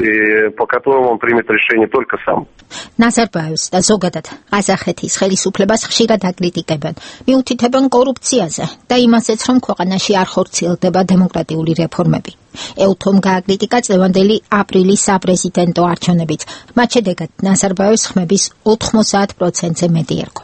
ნაზარბაევს და ზოგადად ყაზახეთის ხელისუფლებას ხშირად აკრიტიკებენ, მიუთითებენ კორუფციაზე და იმასაც, რომ ქვეყანაში არ ხორციელდება დემოკრატიული რეფორმები. ეუთომ გააკრიტიკა წლევანდელი აპრილის საპრეზიდენტო არჩევნებიც, მათ შედეგად ნაზარბაევს ხმების 90%-ზე მეტი ერგო.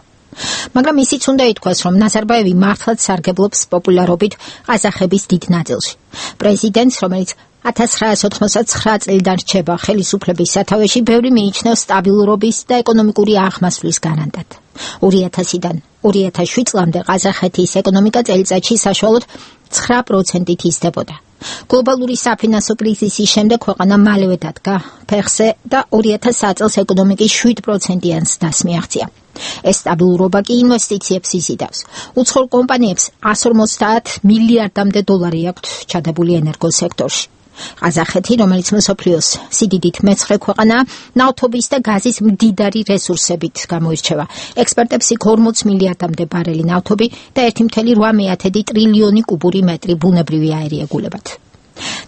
მაგრამ ისიც უნდა ითქვას, რომ ნაზარბაევი მართლაც სარგებლობს პოპულარობით ყაზახების დიდ ნაწილში. პრეზიდენტს, რომელიც 1989 წლიდან რჩება ხელისუფლების სათავეში, ბევრი მიიჩნევს სტაბილურობის და ეკონომიკური აღმასვლის გარანტად. 2000-დან 2007 წლამდე ყაზახეთის ეკონომიკა წელიწადში საშუალოდ 9%-ით იზრდებოდა. გლობალური საფინანსო კრიზისის შემდეგ ქვეყანა მალევე დადგა ფეხზე და 2003 წელს ეკონომიკის 7%-იან ზრდას მიაღწია. ეს სტაბილურობა კი ინვესტიციებს იზიდავს. უცხოურ კომპანიებს 150 მილიარდამდე დოლარი აქვთ ჩადებული ენერგოსექტორში. ყაზახეთი, რომელიც მსოფლიოს სიდიდით მეცხრე ქვეყანაა, ნავთობის და გაზის მდიდარი რესურსებით გამოირჩევა. ექსპერტებს იქ 40 მილიარდამდე ბარელი ნავთობი და 1,8 ტრილიონი კუბური მეტრი ბუნებრივი აირი ეგულებათ.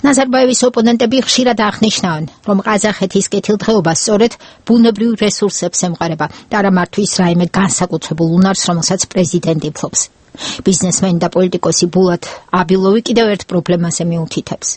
ნაზარბაევის ოპონენტები ხშირად აღნიშნავენ, რომ ყაზახეთის კეთილდღეობა სწორედ ბუნებრივ რესურსებს ემყარება და არა მართვის რაიმე განსაკუთრებულ უნარს, რომელსაც პრეზიდენტი ფლობს. ბიზნესმენი და პოლიტიკოსი ბულათ აბილოვი კიდევ ერთ პრობლემაზე მიუთითებს.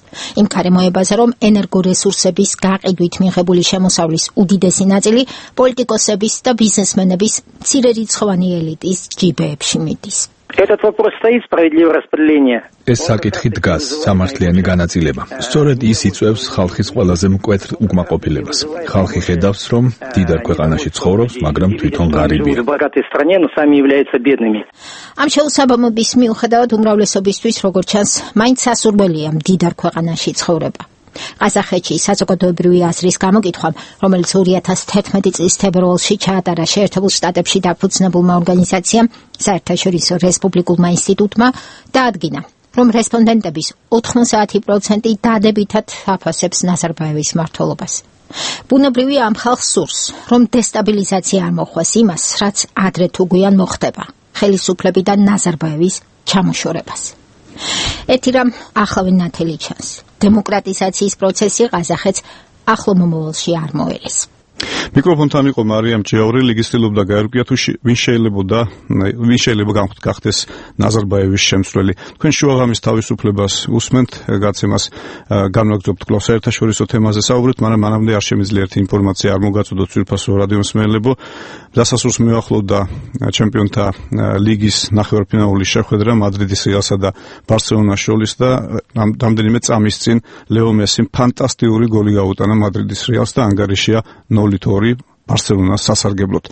იმ გარემოებაზე, რომ ენერგორესურსების გაყიდვით მიღებული შემოსავლის უდიდესი ნაწილი პოლიტიკოსების და ბიზნესმენების მცირერიცხოვანი ელიტის ჯიბეებში მიდის. Этот вопрос стоит, справедливое распределение. ეს საკითხი დგას, სამართლიანი განაწილება. სწორედ ის იწვევს ხალხის ყველაზე მკვეთრ უკმაყოფილებას. ხალხი ხედავს, რომ დიდარ ქვეყანაში ცხოვრობს, მაგრამ თვითონ ღარიბია. ამ შეუსაბამობის მიუხედავად უმრავლესობისთვის, როგორც ჩანს, მაინც სასურველია დიდარ ქვეყანაში ცხოვრება. ყაზახეთში საზოგადოებრივი აზრის გამოკითხვამ, რომელიც 2011 წლის თებერვალში ჩაატარა შეერთებულ შტატებში დაფუძნებულმა ორგანიზაციამ, საერთაშორისო რესპუბლიკულმა ინსტიტუტმა, დაადგინა, რომ რესპონდენტების 90% დადებითად აფასებს ნაზარბაევის მმართველობას. ბუნებრივია ამ ხალხს სურს, რომ დესტაბილიზაცია არ მოხვას იმას, რაც ადრე თუ გვიან მოხდება, ხელისუფლებიდან ნაზარბაევის ჩამოშორებას. ერთი რამ ახლავე ნათელი ჩანს. დემოკრატიზაციის პროცესი ყაზახეთს ახლო მომავალში არ მოელეს. მიკროფონთან იყო მარიამ ჯეავრი, ლეგისტილობდა გაერკვია თუ ვინ შეიძლება გახდეს ნაზარბაევის შემცვლელი. თქვენ შუაღამის თავისუფლებას უსმენთ, გაცემას განვაგრძობთ კვლავ საერთაშორისო თემაზე საუბრით, მაგრამ მანამდე არ შემიძლია ერთი ინფორმაცია არ მოგაწოდოთ ძვირფასო რადიო მსმენელებო. დასასრულს მიახლოვდა ჩემპიონთა ლიგის ნახევარფინალური შეხვედრა მადრიდის რეალსა და ბარსელონას შორის და რამდენიმე წამის წინ ლეო მესიმ ფანტასტიკური გოლი გაუტანა მადრიდის რეალს და ანგარიშია 0 0-2 ბარსელონას სასარგებლოდ.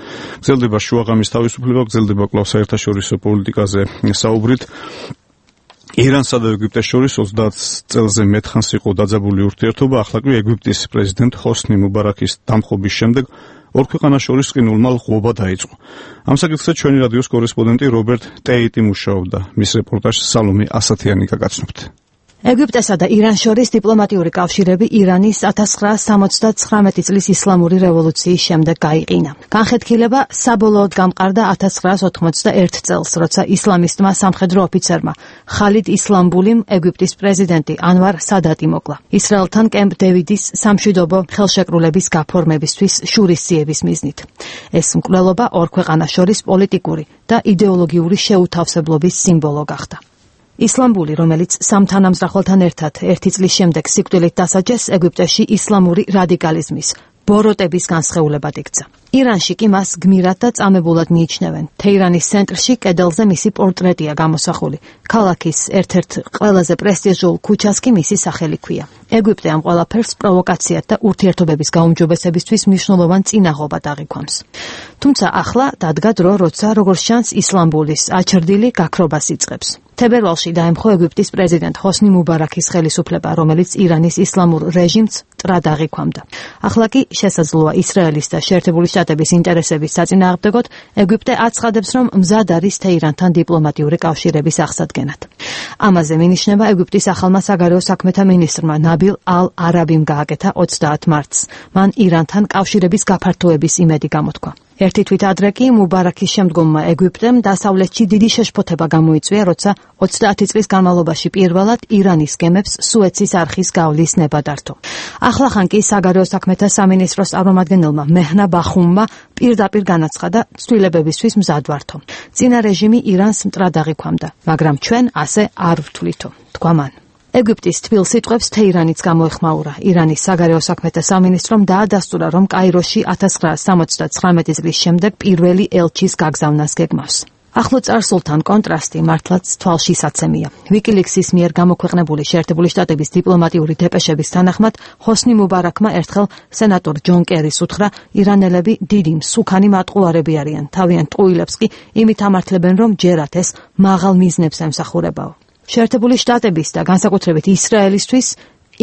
გრძელდება შუაღამის თავისუფლება, გრძელდება კვლავ საერთაშორისო პოლიტიკაზე საუბრით. ირანსა და ეგვიპტეს შორის 30 წელზე მეტხანს იყო დაძაბული ურთიერთობა, ახლა კი ეგვიპტის პრეზიდენტ ჰოსნი მუბარაქის დამხობის შემდეგ ორ ქვეყანას შორის ყინულმა ლღვობა დაიწყო. ამ საკითხზე ჩვენი რადიოს კორესპონდენტი რობერტ ტეიტი მუშაობდა. მის რეპორტაჟს სალომე ასათიანი გაგაცნობთ. ეგვიპტესა და ირანს შორის დიპლომატიური კავშირები ირანის 1979 წლის ისლამური რევოლუციის შემდეგ გაიყინა. განხეთქილება საბოლოოდ გამყარდა 1991 წელს, როცა ისლამისტმა სამხედრო ოფიცერმა ხალიდ ისლამბულიმ ეგვიპტის პრეზიდენტი ანვარ სადატი მოკლა. ისრაელთან კემპ დევიდის სამშვიდობო ხელშეკრულების გაფორმებისთვის შურისძიების მიზნით. ეს მკვლელობა ორ ქვეყანას შორის პოლიტიკური და იდეოლოგიური შეუთავსებლობის სიმბოლო გახდა. ისლამბული, რომელიც სამ თანამზრახველთან ერთად ერთი წლის შემდეგ სიკვდილით დასაჯეს, ეგვიპტეში ისლამური რადიკალიზმის ბოროტების განსხეულებად იქცა. ირანში კი მას გმირად და წამებულად მიიჩნევენ. თეირანის ცენტრში კედელზე მისი პორტრეტია გამოსახული. ქალაქის ერთ-ერთ ყველაზე პრესტიჟულ ქუჩას კი მისი სახელი ქვია. ეგვიპტე ამ ყველაფერს პროვოკაციად და ურთიერთობების გაუმჯობესებისთვის მნიშვნელოვან წინაღობად აღიქვამს. თუმცა ახლა დადგა დრო, როცა როგორც ჩანს ისლამბულის აჩრდილი გაქრობას იწყებს. თებერვალში დაემხო ეგვიპტის პრეზიდენტ ჰოსნი მუბარაქის ხელისუფლება, რომელიც ირანის ისლამურ რეჟიმს მტრად აღიქვამდა. ახლა კი შესაძლოა ისრაელის და შეერთებული შტატების ინტერესების საწინააღმდეგოდ ეგვიპტე აცხადებს, რომ მზად არის თეირანთან დიპლომატიური კავშირების აღსადგენად. ამაზე მინიშნება ეგვიპტის ახალმა საგარეო საქმეთა მინისტრმა ნაბილ ალ-არაბიმ გააკეთა 30 მარტს. მან ირანთან კავშირების გაფართოების იმედი გამოთქვა. ერთი თვით ადრე კი მუბარაქის შემდგომმა ეგვიპტემ დასავლეთში დიდი შეშფოთება გამოიწვია, როცა 30 წლის განმავლობაში პირველად ირანის გემებს სუეცის არხის გავლის ნება დართო. ახლახან კი საგარეო საქმეთა სამინისტროს წარმომადგენელმა მეჰნა ბახუმმა პირდაპირ განაცხადა ცვლილებებისთვის მზად ვართო. წინა რეჟიმი ირანს მტრად აღიქვამდა, მაგრამ ჩვენ ასე არ ვთვლითო, თქვა მან. ეგვიპტის თბილ სიტყვებს თეირანიც გამოეხმაურა. ირანის საგარეო საქმეთა სამინისტრომ დაადასტურა, რომ კაიროში 1979 წლის შემდეგ პირველი ელჩის გაგზავნას გეგმავს. ახლო წარსულთან კონტრასტი მართლაც თვალშისაცემია. ვიკილიქსის მიერ გამოქვეყნებული შეერთებული შტატების დიპლომატიური დეპეშების თანახმად, ჰოსნი მუბარაქმა ერთხელ სენატორ ჯონ კერის უთხრა, ირანელები დიდი მსუქანი მატყუარები არიან. თავიანთ ტყუილებს კი იმით ამართლებენ, რომ ჯერათ ეს მაღალ მიზნებს ემსახურებაო. შეერთებული შტატების და განსაკუთრებით ისრაელისთვის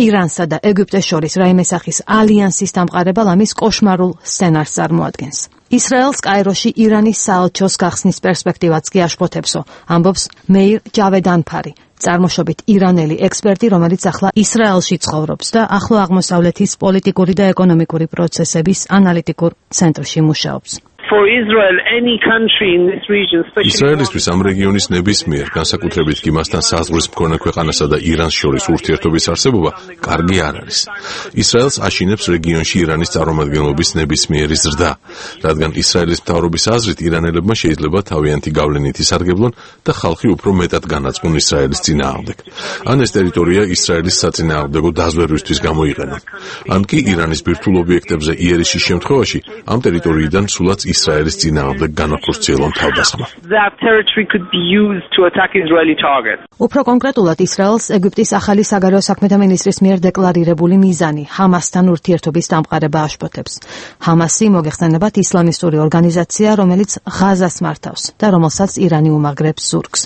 ირანსა და ეგვიპტეს შორის რაიმე სახის ალიანსის დამყარება ლამის კოშმარულ სცენარს წარმოადგენს. ისრაელს კაიროში ირანის საელჩოს გახსნის პერსპექტივაც კი აშფოთებსო, ამბობს მეირ ჯავედანფარი, წარმოშობით ირანელი ექსპერტი, რომელიც ახლა ისრაელში ცხოვრობს და ახლო აღმოსავლეთის პოლიტიკური და ეკონომიკური პროცესების ანალიტიკურ ცენტრში მუშაობს. ისრაელისთვის ამ რეგიონის ნებისმიერ, განსაკუთრებით კი მასთან საზღვრის მქონე ქვეყანასა და ირანს შორის ურთიერთობის არსებობა კარგი არ არის. ისრაელს აშინებს რეგიონში ირანის წარმომადგენლობის ნებისმიერი ზრდა, რადგან ისრაელის მთავრობის აზრით ირანელებმა შეიძლება თავიანთი გავლენით ისარგებლონ და ხალხი უფრო მეტად განაწმუნ ისრაელის წინააღმდეგ. ან ეს ტერიტორია ისრაელის საწინააღმდეგო დაზვერვისთვის გამოიყენონ. ან კი ირანის ბირთვულ ობიექტებზე იერიშის შემთხვევაში ამ ტერიტორიიდან სულაც ისრაელის წინააღმდეგ განახორციელონ თავდასხმა. უფრო კონკრეტულად ისრაელს ეგვიპტის ახალი საგარეო საქმეთა მინისტრის მიერ დეკლარირებული მიზანი ჰამასთან ურთიერთობის დამყარება აშფოთებს. ჰამასი მოგეხსენებათ ისლამისტური ორგანიზაცია, რომელიც ღაზას მართავს და რომელსაც ირანი უმაგრებს ზურგს.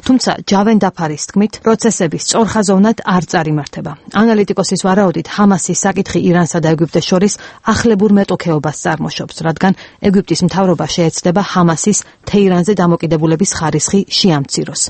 თუმცა ჯავენდაფარის თქმით, პროცესები სწორხაზოვნად არ წარიმართება. ანალიტიკოსის ვარაუდით, ჰამასის საკითხი ირანსა და ეგვიპტეს შორის ახლებურ მეტოქეობას წარმოშობს, რადგან ეგვიპტის მთავრობა შეეცდება ჰამასის თეირანზე დამოკიდებულების ხარისხი შეამციროს.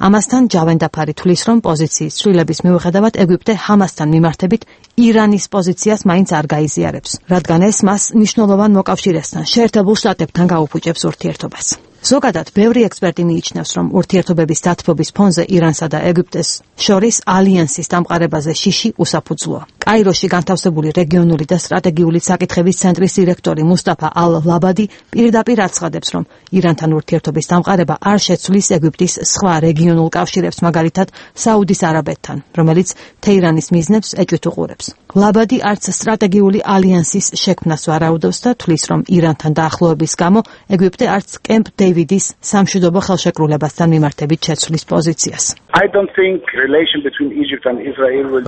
ამასთან ჯავენდაფარი თვლის, რომ პოზიციის ცვლილების მიუხედავად ეგვიპტე ჰამასთან მიმართებით ირანის პოზიციას მაინც არ გაიზიარებს, რადგან ეს მას მნიშვნელოვან მოკავშირესთან, შეერთებულ შტატებთან გაუფუჭებს ურთიერთობას. ზოგადად, ბევრი ექსპერტი მიიჩნევს, რომ ურთიერთობების დათბობის ფონზე ირანსა და ეგვიპტეს შორის ალიანსის დამყარებაზე შიში უსაფუძვლოა. კაიროში განთავსებული რეგიონული და სტრატეგიული საკითხების ცენტრის დირექტორი მუსტაფა ალ-ლაბადი პირდაპირ აცხადებს, რომ ირანთან ურთიერთობის დამყარება არ შეცვლის ეგვიპტის სხვა რეგიონულ კავშირებს, მაგალითად საუდის არაბეთთან, რომელიც თეირანის მიზნებს ეჭვით უყურებს. ლაბადი არც სტრატეგიული ალიანსის შექმნას ვარაუდობს და თვლის, რომ ირანთან დაახლოების გამო ეგვიპტე არც კემპ დევიდის სამშვიდობო ხელშეკრულებასთან მიმართებით შეცვლის პოზიციას.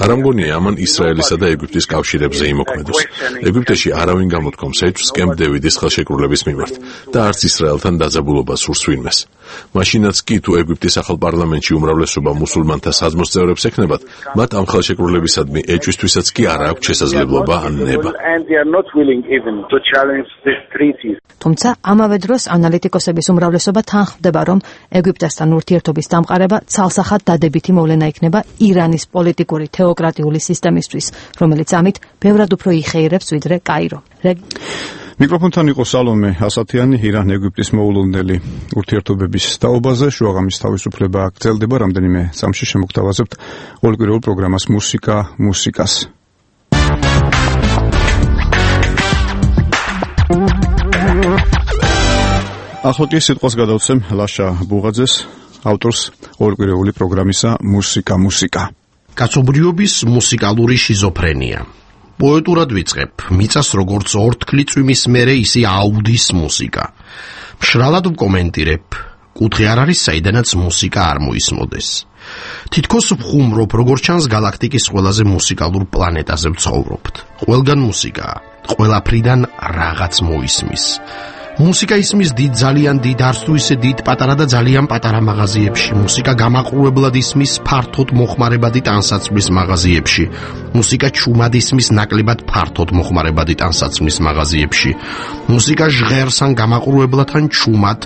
არ ამგონია ამან ისრაელის ისრაელისა და ეგვიპტის კავშირებზე იმოქმედოს. ეგვიპტეში არავინ გამოთქვამს ეჭვს კემპ დევიდის ხელშეკრულების მიმართ და არც ისრაელთან დაძაბულობას სურს ვინმეს. მაშინაც კი თუ ეგვიპტის ახალ პარლამენტში უმრავლესობა მუსულმანთა საძმოს წევრებს ექნებათ, მათ ამ ხელშეკრულებისადმი ეჭვისთვისაც კი არ აქვს შესაძლებლობა ან ნება. თუმცა ამავე დროს ანალიტიკოსების უმრავლესობა თანხმდება, რომ ეგვიპტესთან ურთიერთობის დამყარება ცალსახად დადებითი მოვლენა იქნება ირანის პოლიტიკური თეოკრატიული სისტემისთვის, რომელიც ამით ბევრად უფრო იხეირებს ვიდრე კაირო. მიკროფონთან იყო სალომე ასათიანი, ირან-ეგვიპტის მოულოდნელი ურთიერთობების თაობაზე. შუაღამის თავისუფლება გრძელდება, რამდენიმე წამში შემოგთავაზებთ ყოველკვირეულ პროგრამას მუსიკას. ახლა კი სიტყვას გადავცემ ლაშა ბუღაძეს, ავტორს ყოველკვირეული პროგრამისა მუსიკა. კაცობრიობის მუსიკალური შიზოფრენია. პოეტურად ვიწყებ, მიწას როგორც ორთქლი წვიმის მერე ისე აუდის მუსიკა. მშრალად ვკომენტირებ, კუთხე არ არის საიდანაც მუსიკა არ მოისმოდეს. თითქოს ვხუმრობ, როგორც ჩანს გალაქტიკის ყველაზე მუსიკალურ პლანეტაზე ვცხოვრობთ. ყველგან მუსიკაა, ყველაფრიდან რაღაც მოისმის. მუსიკა ისმის დიდ, ძალიან დიდ, არც თუ ისე დიდ, პატარა და ძალიან პატარა მაღაზიებში. მუსიკა გამაყურებლად ისმის ფართოდ მოხმარებადი ტანსაცმლის მაღაზიებში. მუსიკა ჩუმად ისმის ნაკლებად ფართოდ მოხმარებადი ტანსაცმლის მაღაზიებში. მუსიკა ჟღერს ან გამაყურებლად ან ჩუმად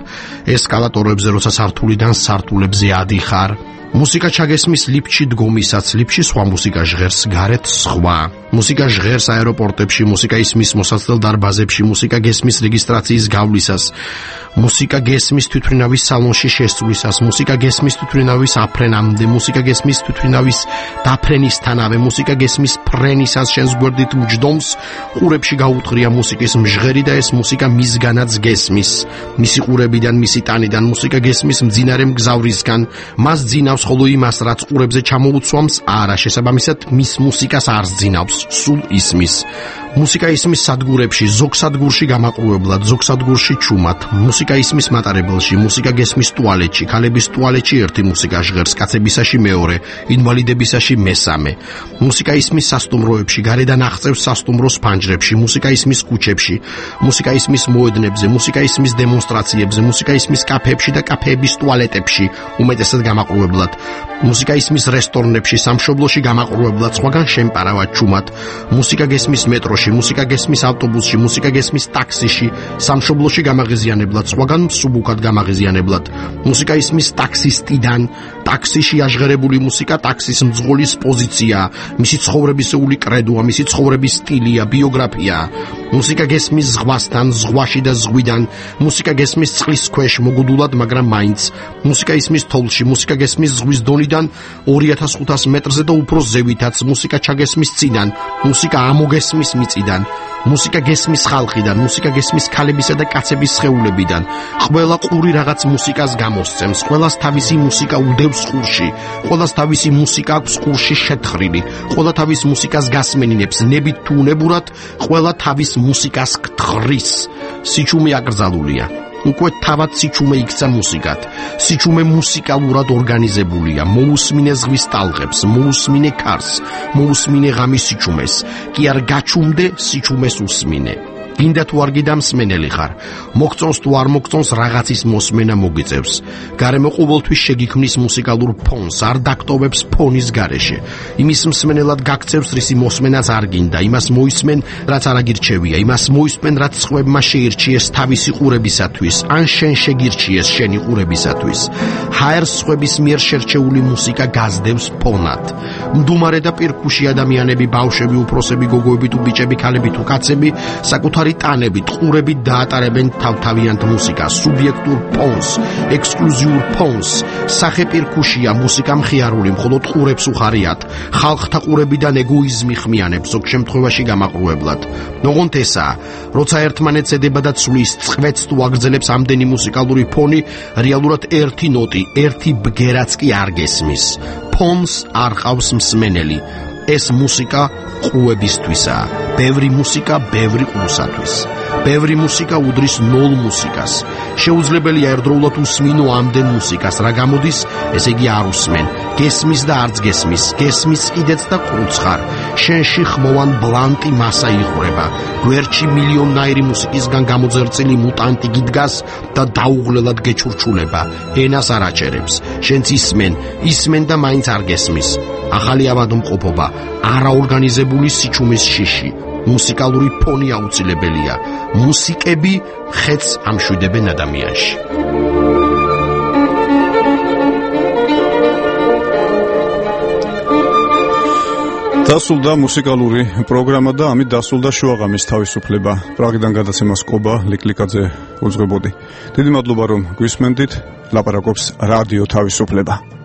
ესკალატორებზე, როცა სართულიდან სართულებზე ადიხარ. მუსიკა ჩაგესმის ლიფტში დგომისაც, ლიფტში სხვა მუსიკა ჟღერს, გარეთ სხვა. მუსიკა ჟღერს აეროპორტებში, მუსიკა ისმის მოსაცდელ დარბაზებში, მუსიკა გესმის რეგისტრაციის გავლისას, მუსიკა გესმის თვითმფრინავის სალონში შესვლისას, მუსიკა გესმის თვითმფრინავის აფრენამდე, მუსიკა გესმის თვითმფრინავის დაფრენისთანავე, მუსიკა გესმის ფრენისას შენს გვერდით მჯდომს, ყურებში გაუთხრია მუსიკის მჟღერი და ეს მუსიკა მისგანაც გესმის, მისი ყურებიდან, მისი ტანიდან, მუსიკა გესმის მძინარე მგზავრისგან, მას ძინავს ხოლო იმას, რაც ყურებზე ჩამოუცვამს, არა, შესაბამისად მის მუსიკას არ ძინავს, სულ ისმის. მუსიკა ისმის სადგურებში, ზოგ სადგურში გამაყურებლად, ზოგ სადგურში ჩუმად. მუსიკა ისმის მატარებელში, მუსიკა გესმის ტუალეტში, ქალების ტუალეტში ერთი მუსიკა ჟღერს, კაცებისაში მეორე, ინვალიდებისაში მესამე. მუსიკა ისმის სასტუმროებში, გარედან აღწევს სასტუმროს ფანჯრებში, მუსიკა ისმის ქუჩებში, მუსიკა ისმის მოედნებზე, მუსიკა ისმის დემონსტრაციებზე, მუსიკა ისმის კაფეებში და კაფეების ტუალეტებში, უმეტესად გამაყურებლად. მუსიკა ისმის რესტორნებში, სამშობლოში გამაყურებლად, სხვაგან შემპარავად ჩუმად. მუსიკა გესმის მეტროში, მუსიკა გესმის ავტობუსში, მუსიკა გესმის ტაქსიში, სამშობლოში გამაღიზიანებლად, სხვაგან მსუბუქად გამაღიზიანებლად. მუსიკა ისმის ტაქსისტიდან, ტაქსიში აჟღერებული მუსიკა ტაქსის მძღოლის პოზიცია, მისი ცხოვრებისეული კრედოა, მისი ცხოვრების სტილია, ბიოგრაფია. მუსიკა გესმის ზღვასთან, ზღვაში და ზღვიდან, მუსიკა გესმის წყლის ქვეშ მოგუდულად, მაგრამ მაინც. მუსიკა ისმის თოვლში, მუსიკა გესმის ზღვის დონიდან 2500 მეტრზე და უფრო ზევითაც, მუსიკა ჩაგესმის წიდან, მუსიკა ამოგესმის მიწიდან, მუსიკა გესმის ხალხიდან, მუსიკა გესმის ქალებისა და კაცების სხეულებიდან. ყველა ყური რაღაც მუსიკას გამოსცემს, ყველას თავისი მუსიკა უდევს ყურში, ყველას თავისი მუსიკა აქვს ყურში შეთხრილი, ყველა თავის მუსიკას გასმენინებს, ნებით თუ უნებურად, ყველა თავის მუსიკას გთხრის. სიჩუმე აკრძალულია. უკვე თავად სიჩუმე იქცა მუსიკად. სიჩუმე მუსიკალურად ორგანიზებულია. მოусმინე ზღვის ტალღებს, მოусმინე ქარს, მოусმინე ღამის სიჩუმეს. კი არ გაჩუმდე, სიჩუმეს უსმინე. გინდა თუ არ გიდა მსმენელი ხარ. მოგწონს თუ არ მოგწონს, რაღაცის მოსმენა მოგიწევს. გარემო ყოველთვის შეგიქმნის მუსიკალურ ფონს, არ დაკტოვებს ფონის გარეშე. იმის მსმენელად გაქცევს, რისი მოსმენაც არ გინდა. იმას მოისმენ, რაც არ აგირჩევია. იმას მოისმენ, რაც სხვებმა შეირჩიეს თავისი ყურებისათვის, ან შენ შეგირჩიეს შენი ყურებისათვის. ჰაერს სხვების მიერ შერჩეული მუსიკა გაზდევს ფონად. მდუმარე და პირქუში ადამიანები, ბავშვები, უფროსები, გოგოები თუ ბიჭები, ქალები თუ კაცები, საკუთარი ტანებით, ყურებით დაატარებენ თავთავიანთ მუსიკას, სუბიექტურ ფონს, ექსკლუზიურ ფონს. სახე პირქუშია, მუსიკა მხიარული, მხოლოდ ყურებს უხარიათ. ხალხთა ყურებიდან ეგოიზმი ხმიანებს, ზოგ შემთხვევაში გამაყურებლად. ნოღონთ ესაა, როცა ერთმანეთს ედება და ცვლის, წყვეთს თუ აგრძელებს ამდენი მუსიკალური ფონი, რეალურად ერთი ნოტი, ერთი ბგერაც კი არ გესმის. ფონს არ ყავს მსმენელი. ეს მუსიკა ყუებისთვისაა. ბევრი მუსიკა ბევრი ყურსათვის. ბევრი მუსიკა უდრის ნოლ მუსიკას. შეუძლებელია ერთდროულად უსმინო ამდენ მუსიკას, რა გამოდის, ესე იგი არ უსმენ. გესმის და არც გესმის, გესმის კიდეც და ყუცხარ. შენში ხმოვან ბლანტი მასა იღვრება, გვერდში მილიონნაირი მუსიკისგან გამოძერწილი მუტანტი გიდგას და დაუღლელად გეჩურჩულება, ენას არ აჭერებს, შენც ისმენ და მაინც არ გესმის. ახალი ავადმყოფობა, არაორგანიზებული სიჩუმის შიში, მუსიკალური ფონი აუცილებელია. მუსიკები ხეთს ამშვიდებენ ადამიანში. დასრულდა მუსიკალური პროგრამა და ამით დასრულდა შუაღამის თავისუფლება. პრაღიდან გადაცემას ყობა ლიკლიკაძე უძღვებოდი. დიდი მადლობა რომ გვისმენდით. ლაპარაკობს რადიო თავისუფლება.